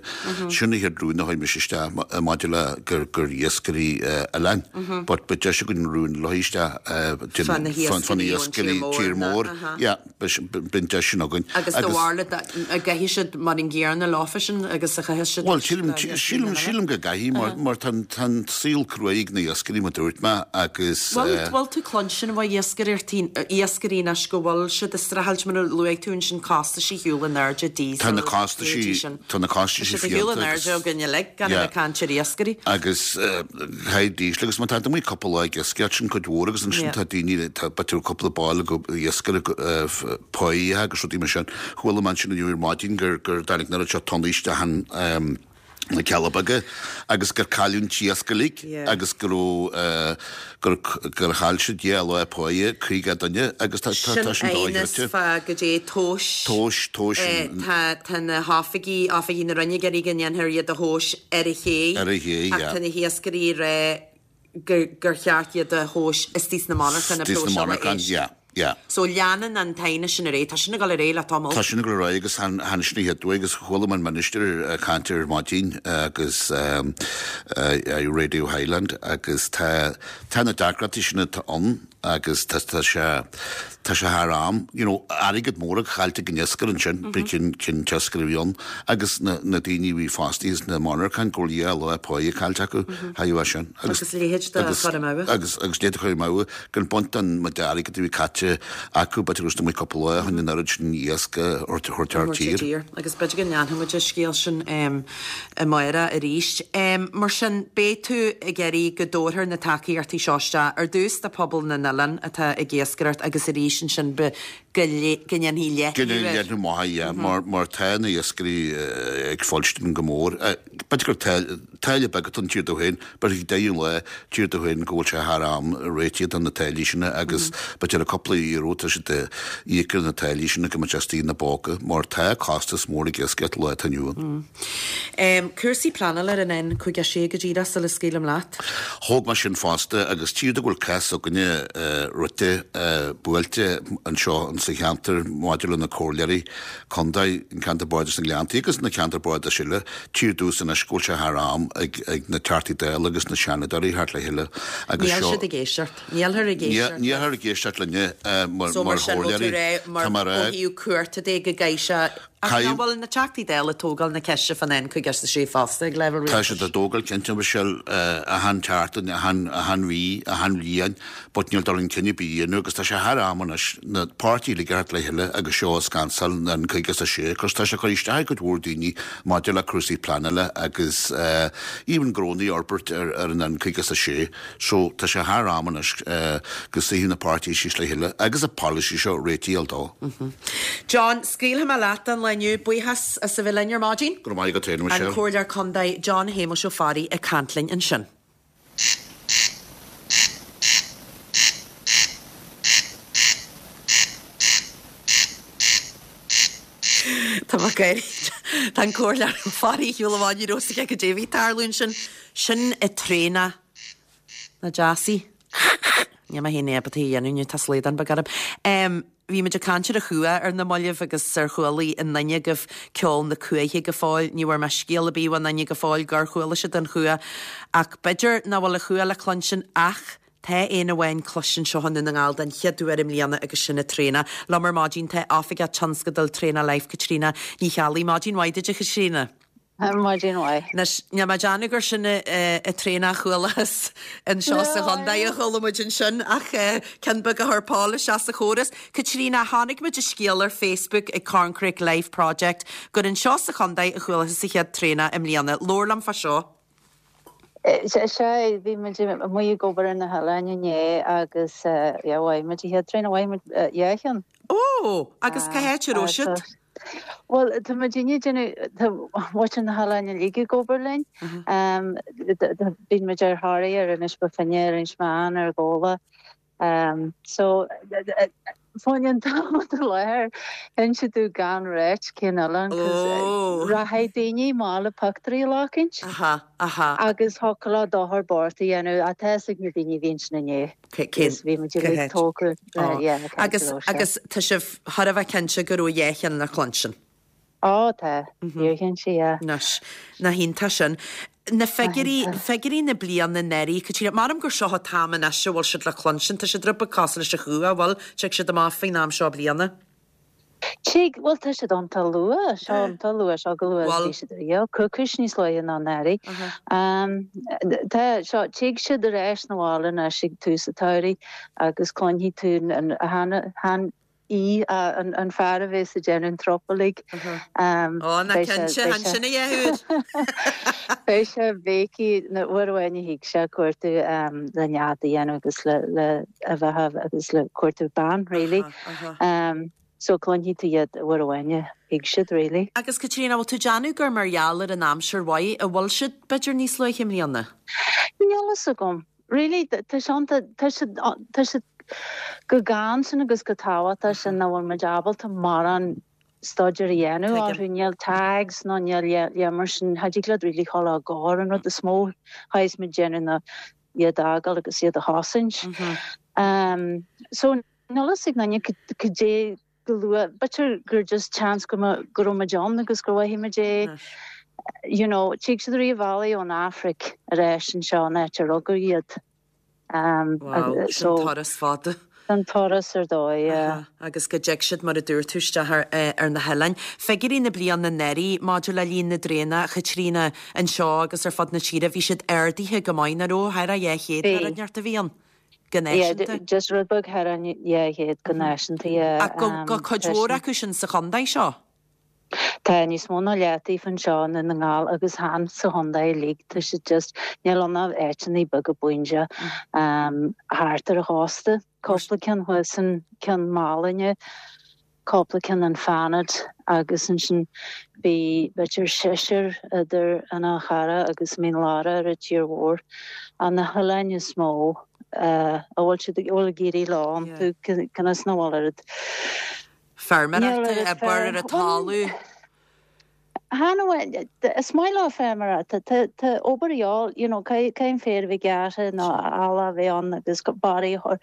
Speaker 8: Sin an chéad rún a chuir mise isteach maidir le gur gur iascairí oileáin. But beidh deis againn rún a chur isteach
Speaker 1: Fá na hiascairí ón tír mór.
Speaker 8: Yeah, beidh an deis sin againn.
Speaker 1: Agus do bharúil an gcaithfidh siad mar an gcéanna leofa sin agus a chaithfidh siad
Speaker 8: Bhuel, sílim, sílim, sílim go gcaithfidh mar, mar tá an, tá an saol cruaidh ag na hiascairí mar dúirt mé agus.
Speaker 1: Bhfuil, bhfuil tú cluinstin ó iascairí, iascairí anois go bhfuil siad ag streachailt mar a luaigh tú ansin costaisí ar shiúl in airde, diesel,
Speaker 8: Tá na costaisí, tá na costaisí
Speaker 1: Tá siad ar shiúl in airde againn uilig, gan a bheith ag caint ar iascairí.
Speaker 8: Agus caithfidh diesel agus má tá tú amuigh cúpla lá ag iascaireacht sin cuid mhór agus ansin tá daoine, tá b'fhéidir cúpla ball iascaire páighe agus rudaí mar sin. Chuala mé ansin inniu ar maidin gur gur dtáinig an oiread seo tonnaí isteach an na Cealla Beaga agus gur cailleadh an t-iasc uilig agus go raibh gur gur chaill siad dhá lá páighe, caoga duine agus tá tá
Speaker 1: tá
Speaker 8: sin
Speaker 1: Sin aighneas
Speaker 8: dóigh
Speaker 1: fá goidé tomhais.
Speaker 8: Tomhais, tomhais an.
Speaker 1: Tá tá na hoifigí, oifigí na Roinne ag iarraidh go ndéanfar iad a thomhas ar an ché.
Speaker 8: Ar an ché,
Speaker 1: Ach
Speaker 8: yeah.
Speaker 1: tá na hiascairí ag rá gur gur cheart iad a thomhas istigh sna monarchana,
Speaker 8: Istigh sna
Speaker 1: próiseála
Speaker 8: monarchana,
Speaker 1: éisc.
Speaker 8: yeah, yeah.
Speaker 1: So leanann an t-aighneas sin ar aghaidh, tá sin ag dul ar aghaidh le tamall.
Speaker 8: Tá sin ag dul ar aghaidh agus tháinig sin an chéad uair agus chuala mé an Minister ag caint ar maidin agus ar Radio Highland agus tá tá na deacrachtaí sin atá ann agus tá tá sé Tá sé thar am, you know, airgead mór caillte ag an iascaire ansin, b'é cén cén t-iascaire a bhí ann agus na na daoine a bhí fostaithe sna monarcháin go bhfuil dhá lá páighe caillte acu thairbhe as sin.
Speaker 1: Agus a leithéid de
Speaker 8: agus
Speaker 1: chur amú.
Speaker 8: agus agus leithéid de chur amú gan baint den méid airgid a bhí caite acu b'fhéidir go raibh siad amuigh cúpla lá chun an oiread sin iasc a thabhairt thar tír.
Speaker 1: Agus b'fhéidir go ndéanfaidh muid an scéal sin amárach arís. Mar sin, beidh tú ag iarraidh go dtabharfar na tacaíochtaí seo isteach ar dtús do phobal na n-oileán atá ag iascaireacht agus arís ansin go ndéanfaí
Speaker 8: leathnú air. Go ndéanfaí leathnú maith, yeah, mar tá na hiascairí ag fuilstin go mór. B'fhéidir gur táille beag atá ann tír dó féin, but ag deireadh an lae, tír dó féin go bhfuil sé thar am réitigh do na táillí sin agus b'fhéidir le cúpla euro tá siad ag íoc ar na táillí sin go mbeidh sé istigh ina bpóca mar tá costas mór ag iascaireacht lá atá inniu
Speaker 1: ann. Cúrsaí pleanála ar an N cúig a sé go díreach sula scaoilim leat.
Speaker 8: Thóg mé sin fosta agus tír do go bhfuil cás againne rite buailte anseo sa cheantar maidir le na comhairleoirí contae, an ceantar bardais na Gleanntaí agus na ceantair bardais eile, tír domhsa anois go bhfuil sé thar am ag ag na Teachtaí Dála agus na Seanadóirí theacht le chéile
Speaker 1: agus Níl seo siad ag éisteacht. Nílthear ag éisteacht.
Speaker 8: Nílthear ag éisteacht linne mar
Speaker 1: So mar
Speaker 8: mar
Speaker 1: sin bhfuil tú
Speaker 8: chomhairleoirí.
Speaker 1: ag rá mar
Speaker 8: Tá mé ag
Speaker 1: ó
Speaker 8: rá
Speaker 1: thaobh cúirte de go gcaithfidh sé Ach nach bhfuil na Teachtaí Dála ag tógáil na ceiste fán N cúig a sé fosta ag leibhéal
Speaker 8: Tá
Speaker 1: rialtais?
Speaker 8: siad á dtógáil cinnte, Michelle, achan tseachtain, achan achan mhí, achan bhliain, but níl dul chun cinn ar bith á dhéanamh agus tá sé thar am anois na páirtithe uilig a theacht le chéile agus seo a scansáil, an N cúig a sé, cos tá sé ag cur isteach ar cuid mhór daoine maidir le cúrsaí pleanála agus even gnónna a fhorbairt ar ar an N cúig a sé. So tá sé thar am anois go suífeadh na páirtithe síos le chéile agus an polasaí seo réitigh a fháil dó.
Speaker 1: John, scaoilfidh mé leat don lá inniu. Buíochas as a bheith linn ar maidin.
Speaker 8: Go raibh maith agat féin,
Speaker 1: An
Speaker 8: Michelle.
Speaker 1: Comhairleoir Contae John Shéamuis Ó Fearraigh ag caint linn ansin. Tá mé ag gáire. Tá an Comhairleoir Ó Fearraigh ar shiúl amháin ní raibh a fhios aige cad é a bhí ag tarlú ansin. Sin an traonach nach deas í. Níl mé féin ábalta í a dhéanamh inniu, tá slaghdán beag orm. Bhí muid ag caint ar an chuach ar na mallaibh agus ar chuala aon duine agaibh ceol na cuaiche go fóill. Ní bhfuair mé scéal ar bith ó aon duine go fóill gur chuala siad an chuach ach b'fhéidir nach bhfuil an chuach le cluinstin ach tá éan amháin cloiste anseo i nDún na nGall den chéad uair i mbliana agus sin an traonach. Liom ar maidin tá Oifigeach Tionscadail Traonach Life Caitríona Ní Cheallaigh. Maidin mhaith duit a Chaitríona.
Speaker 9: Maidin mhaith.
Speaker 1: Anois, níl mé ag déanamh gur sin an traonach a chualathas anseo sa chontae a chuala muid ansin ach ceann beag a chuir Paul isteach sa chóras. Caitríona, chonaic muid an scéal ar Facebook ag Corncrake Life Project gur anseo sa chontae a chualathas an chéad traonach i mbliana. Labhair liom fá seo.
Speaker 9: Sea, bhí muid amuigh ag obair ar na hoileáin inné agus yeah, mhothaigh muid an chéad traonach, mhothaigh muid dhá cheann.
Speaker 1: Ó! Agus cá háit a raibh siad?
Speaker 9: Bhuel, tá muid inniu ag déanamh, tá muintir na hoileáin uilig ag obair linn. Bíonn muid ar Thoraí, ar Inis Bó Finne, ar Inis Meáin, ar Ghabhla. So, fá choinne an t-am atá i láthair, inse domh gan ráit cén oileán, 'cause rachaidh daoine amach le pictiúirí a ghlacaint agus thiocfadh leo dochar bocht a dhéanamh, ach tá fhios ag na daoine a bhí ansin inné.
Speaker 1: Cén
Speaker 9: Bhí muid uilig tógtha yeah,
Speaker 1: Agus
Speaker 9: agus
Speaker 1: agus tá sibh thar a bheith cinnte go raibh dhá cheann le cluinstin.
Speaker 9: Ó tá, fíorchinnte, yeah.
Speaker 1: Anois, nach iontach sin. Na figiúirí, figiúirí na bliana anuraidh, Caitríona, measaim gur seo an t-am anois a bhfuil siad le cluinstin, tá siad rud beag cosúil leis an chuach, an bhfuil, tig siad amach faoin am seo bliana.
Speaker 9: Tig, bhuel tá siad iontach luath, seo iontach luath, seo chomh luath is a bhí siad riamh, coicís níos luaithe ná anuraidh. Tá, seo, tig siad ar ais 'na bhaile anois ag tús an tsamhraidh agus cluinfidh tú an, an, í, an, an fear a bhéas ag déanamh an trupallaigh.
Speaker 1: Ó, ná cinnte, ansin a dheartháir!
Speaker 9: Beidh sé ag béicigh, nó uair amháin a thig sé ag cuartú le nead a dhéanamh agus le, le a bheatha agus le cuartú bean, really. So cluinfidh tú iad uair amháin a thig siad, really.
Speaker 1: Agus Caitríona, bhfuil tú ag déanamh gur mar gheall ar an aimsir mhaith a bhfuil siad b'fhéidir níos luaithe i mbliana?
Speaker 9: Níl fhios agam. Really, tá sé, tá siad, tá siad chomh gann sin agus chomh tábhachtach sin nach bhfuil muid ábalta mórán staidéar a dhéanamh orthu. Níl tags nó níl le mar sin, cha dtig leat really dhul á gcur, an rud is mó a chaithfeas muid déanamh ná iad a fhágáil agus iad a chosaint. So níl fhios ag éinne cad é chomh luath, b'fhéidir gur just chance go go raibh muid ann agus gur mhothaigh muid é. You know, tig siad ar an bhealach ón Afraic ar ais anseo an áit a rugadh iad.
Speaker 1: Wow, sin turas fada.
Speaker 9: An turas ar dóigh, yeah.
Speaker 1: Agus go dtig siad, mar a dúirt tú, isteach ar ar na hoileáin. Figiúirí na bliana anuraidh maidir le líon na dtraonach, a Chaitríona, anseo agus ar fud na tíre, bhí siad ardaithe go maith, nach raibh? Thar a dhá chéad nó rud inteacht a bhí ann, go
Speaker 9: Yeah,
Speaker 1: náisiúnta.
Speaker 9: just rud beag thar an dhá chéad go náisiúnta, yeah.
Speaker 1: Ach go go cuid mhór acu sin sa chontae seo.
Speaker 9: Tá níos mó ná leath díobh anseo i nDún na nGall agus chan sa chontae uilig, tá siad just, níl ann ach áiteanna beaga buinse thart ar an chósta, cúpla ceann thuas in Ceann Mhálanna, cúpla ceann in Fanad agus ansin bhí b'fhéidir seisear idir an Fhál Charrach agus Mín Lárach ar an tír mhór. Ach na hoileáin is mó a bhfuil siad, a bhfuil ag éirí leo iontu, cionn is nach bhfuil oiread.
Speaker 1: Feirmeoireachta, obair ar an talamh.
Speaker 9: Chan amháin, is maith leo feirmeoireacht, tá obair a dhíobháil, you know, caithfidh an féar a bheith gearrtha nó eallach a bheith ann agus barraí a chur.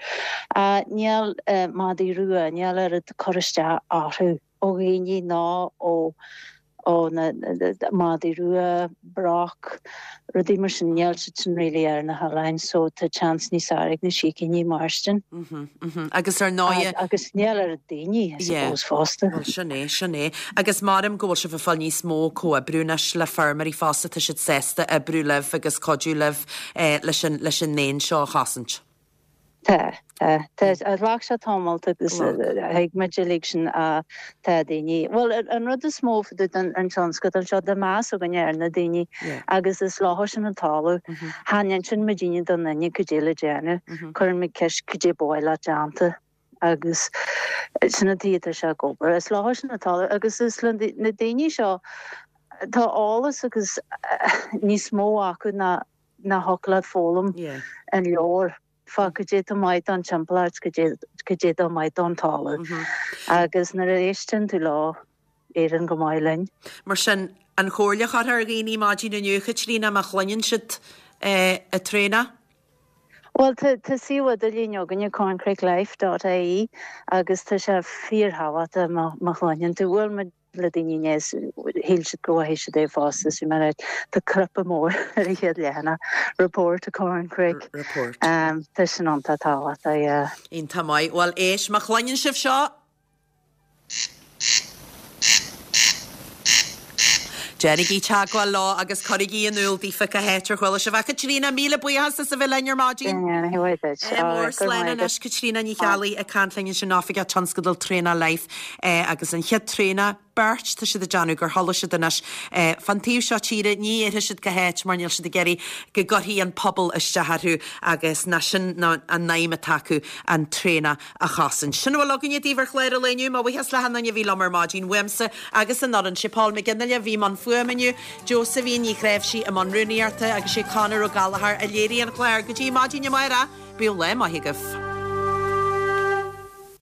Speaker 9: Níl madaí rua, níl oiread cur isteach orthu ó dhaoine ná ó ó na madaí rua, broc, rudaí mar sin, níl siad sin really ar na hoileáin so tá chance níos fearr ag na sicíní mairstin.
Speaker 1: Mhm, mhm. Agus ar ndóighe.
Speaker 9: Agus níl oiread daoine, I suppose, fosta.
Speaker 1: Bhuel, sin é, sin é. Agus maram go bhfuil sibh ag fáil níos mó comhoibriú anois le feirmeoirí fosta, tá siad sásta oibriú libh agus cuidiú libh leis an, leis an éan seo a chosaint.
Speaker 9: Tá, tá. Tá, ghlac sé tamalt agus thuig muid uilig sin ach tá daoine, bhuel an rud is mó fá dtaobh den an tionscadal seo, tá meas againne ar na daoine agus is leo sin an talamh. Chan inseann muidinne don duine cad é le déanamh, cuireann muid ceist cad é ba mhaith leat déanta agus sin an tuige atá sé ag obair. Is leo sin an talamh agus is le na daoine seo tá eolas agus níos mó acu ná ná thiocfadh leat foghlaim in leabhar. Fá cad é tá maith don timpeallacht, cad é cad é tá maith don talamh. Agus nuair a éisteann tú leo, éiríonn go maith linn.
Speaker 1: Mar sin, an chomhairle a chuirfeá ar dhaoine maidin inniu, Chaitríona, má chluineann siad an traonach?
Speaker 9: Bhuel, tá tá suíomh idirlín againne, corncrakelife dot ie, agus tá sé fíorthábhachtach má má chluineann tú. Bhuel, muid le daoine inné is shíl siad go bhfaighidh siad é fosta is bhí mé ag tá cnaipe mór ar an chéad leathanach, report a corncrake.
Speaker 1: Report.
Speaker 9: Tá sin iontach tábhachtach, yeah.
Speaker 1: Iontach maith. Bhuel, éist, má chluineann sibh seo, déanaigí teagmháil leo agus cuirigí in iúl daofa cá háit ar chuala sibh. A Chaitríona, míle buíochas as a bheith linn ar maidin.
Speaker 9: Ní hé duit.
Speaker 1: Ádh mór, slán anois. Caitríona Ní Cheallaigh ag caint linn ansin, Oifigeach Tionscadail Traonach Life agus an chéad traonach, beirt, tá siad ag déanamh gur chuala siad anois fán taobh seo tíre, ní dhéarfaidh siad cá háit mar níl siad ag iarraidh go gcuirfí an pobal isteach orthu agus ná sin ná an aidhm atá acu an traonach a chosaint. Sin a bhfuil againne daoibh ar chlár an lae inniu. Mo bhuíochas le hachan duine a bhí liom ar maidin uaimse agus an fhoireann. Sé Paul McGinley a bhí i mbun fuaime inniu, Josephine Ní Chnáimhsí i mbun rúnaíochta agus sé Conor Ó Gallchóir a léirigh an clár. Go dtí maidin amárach, bíodh lá maith agaibh.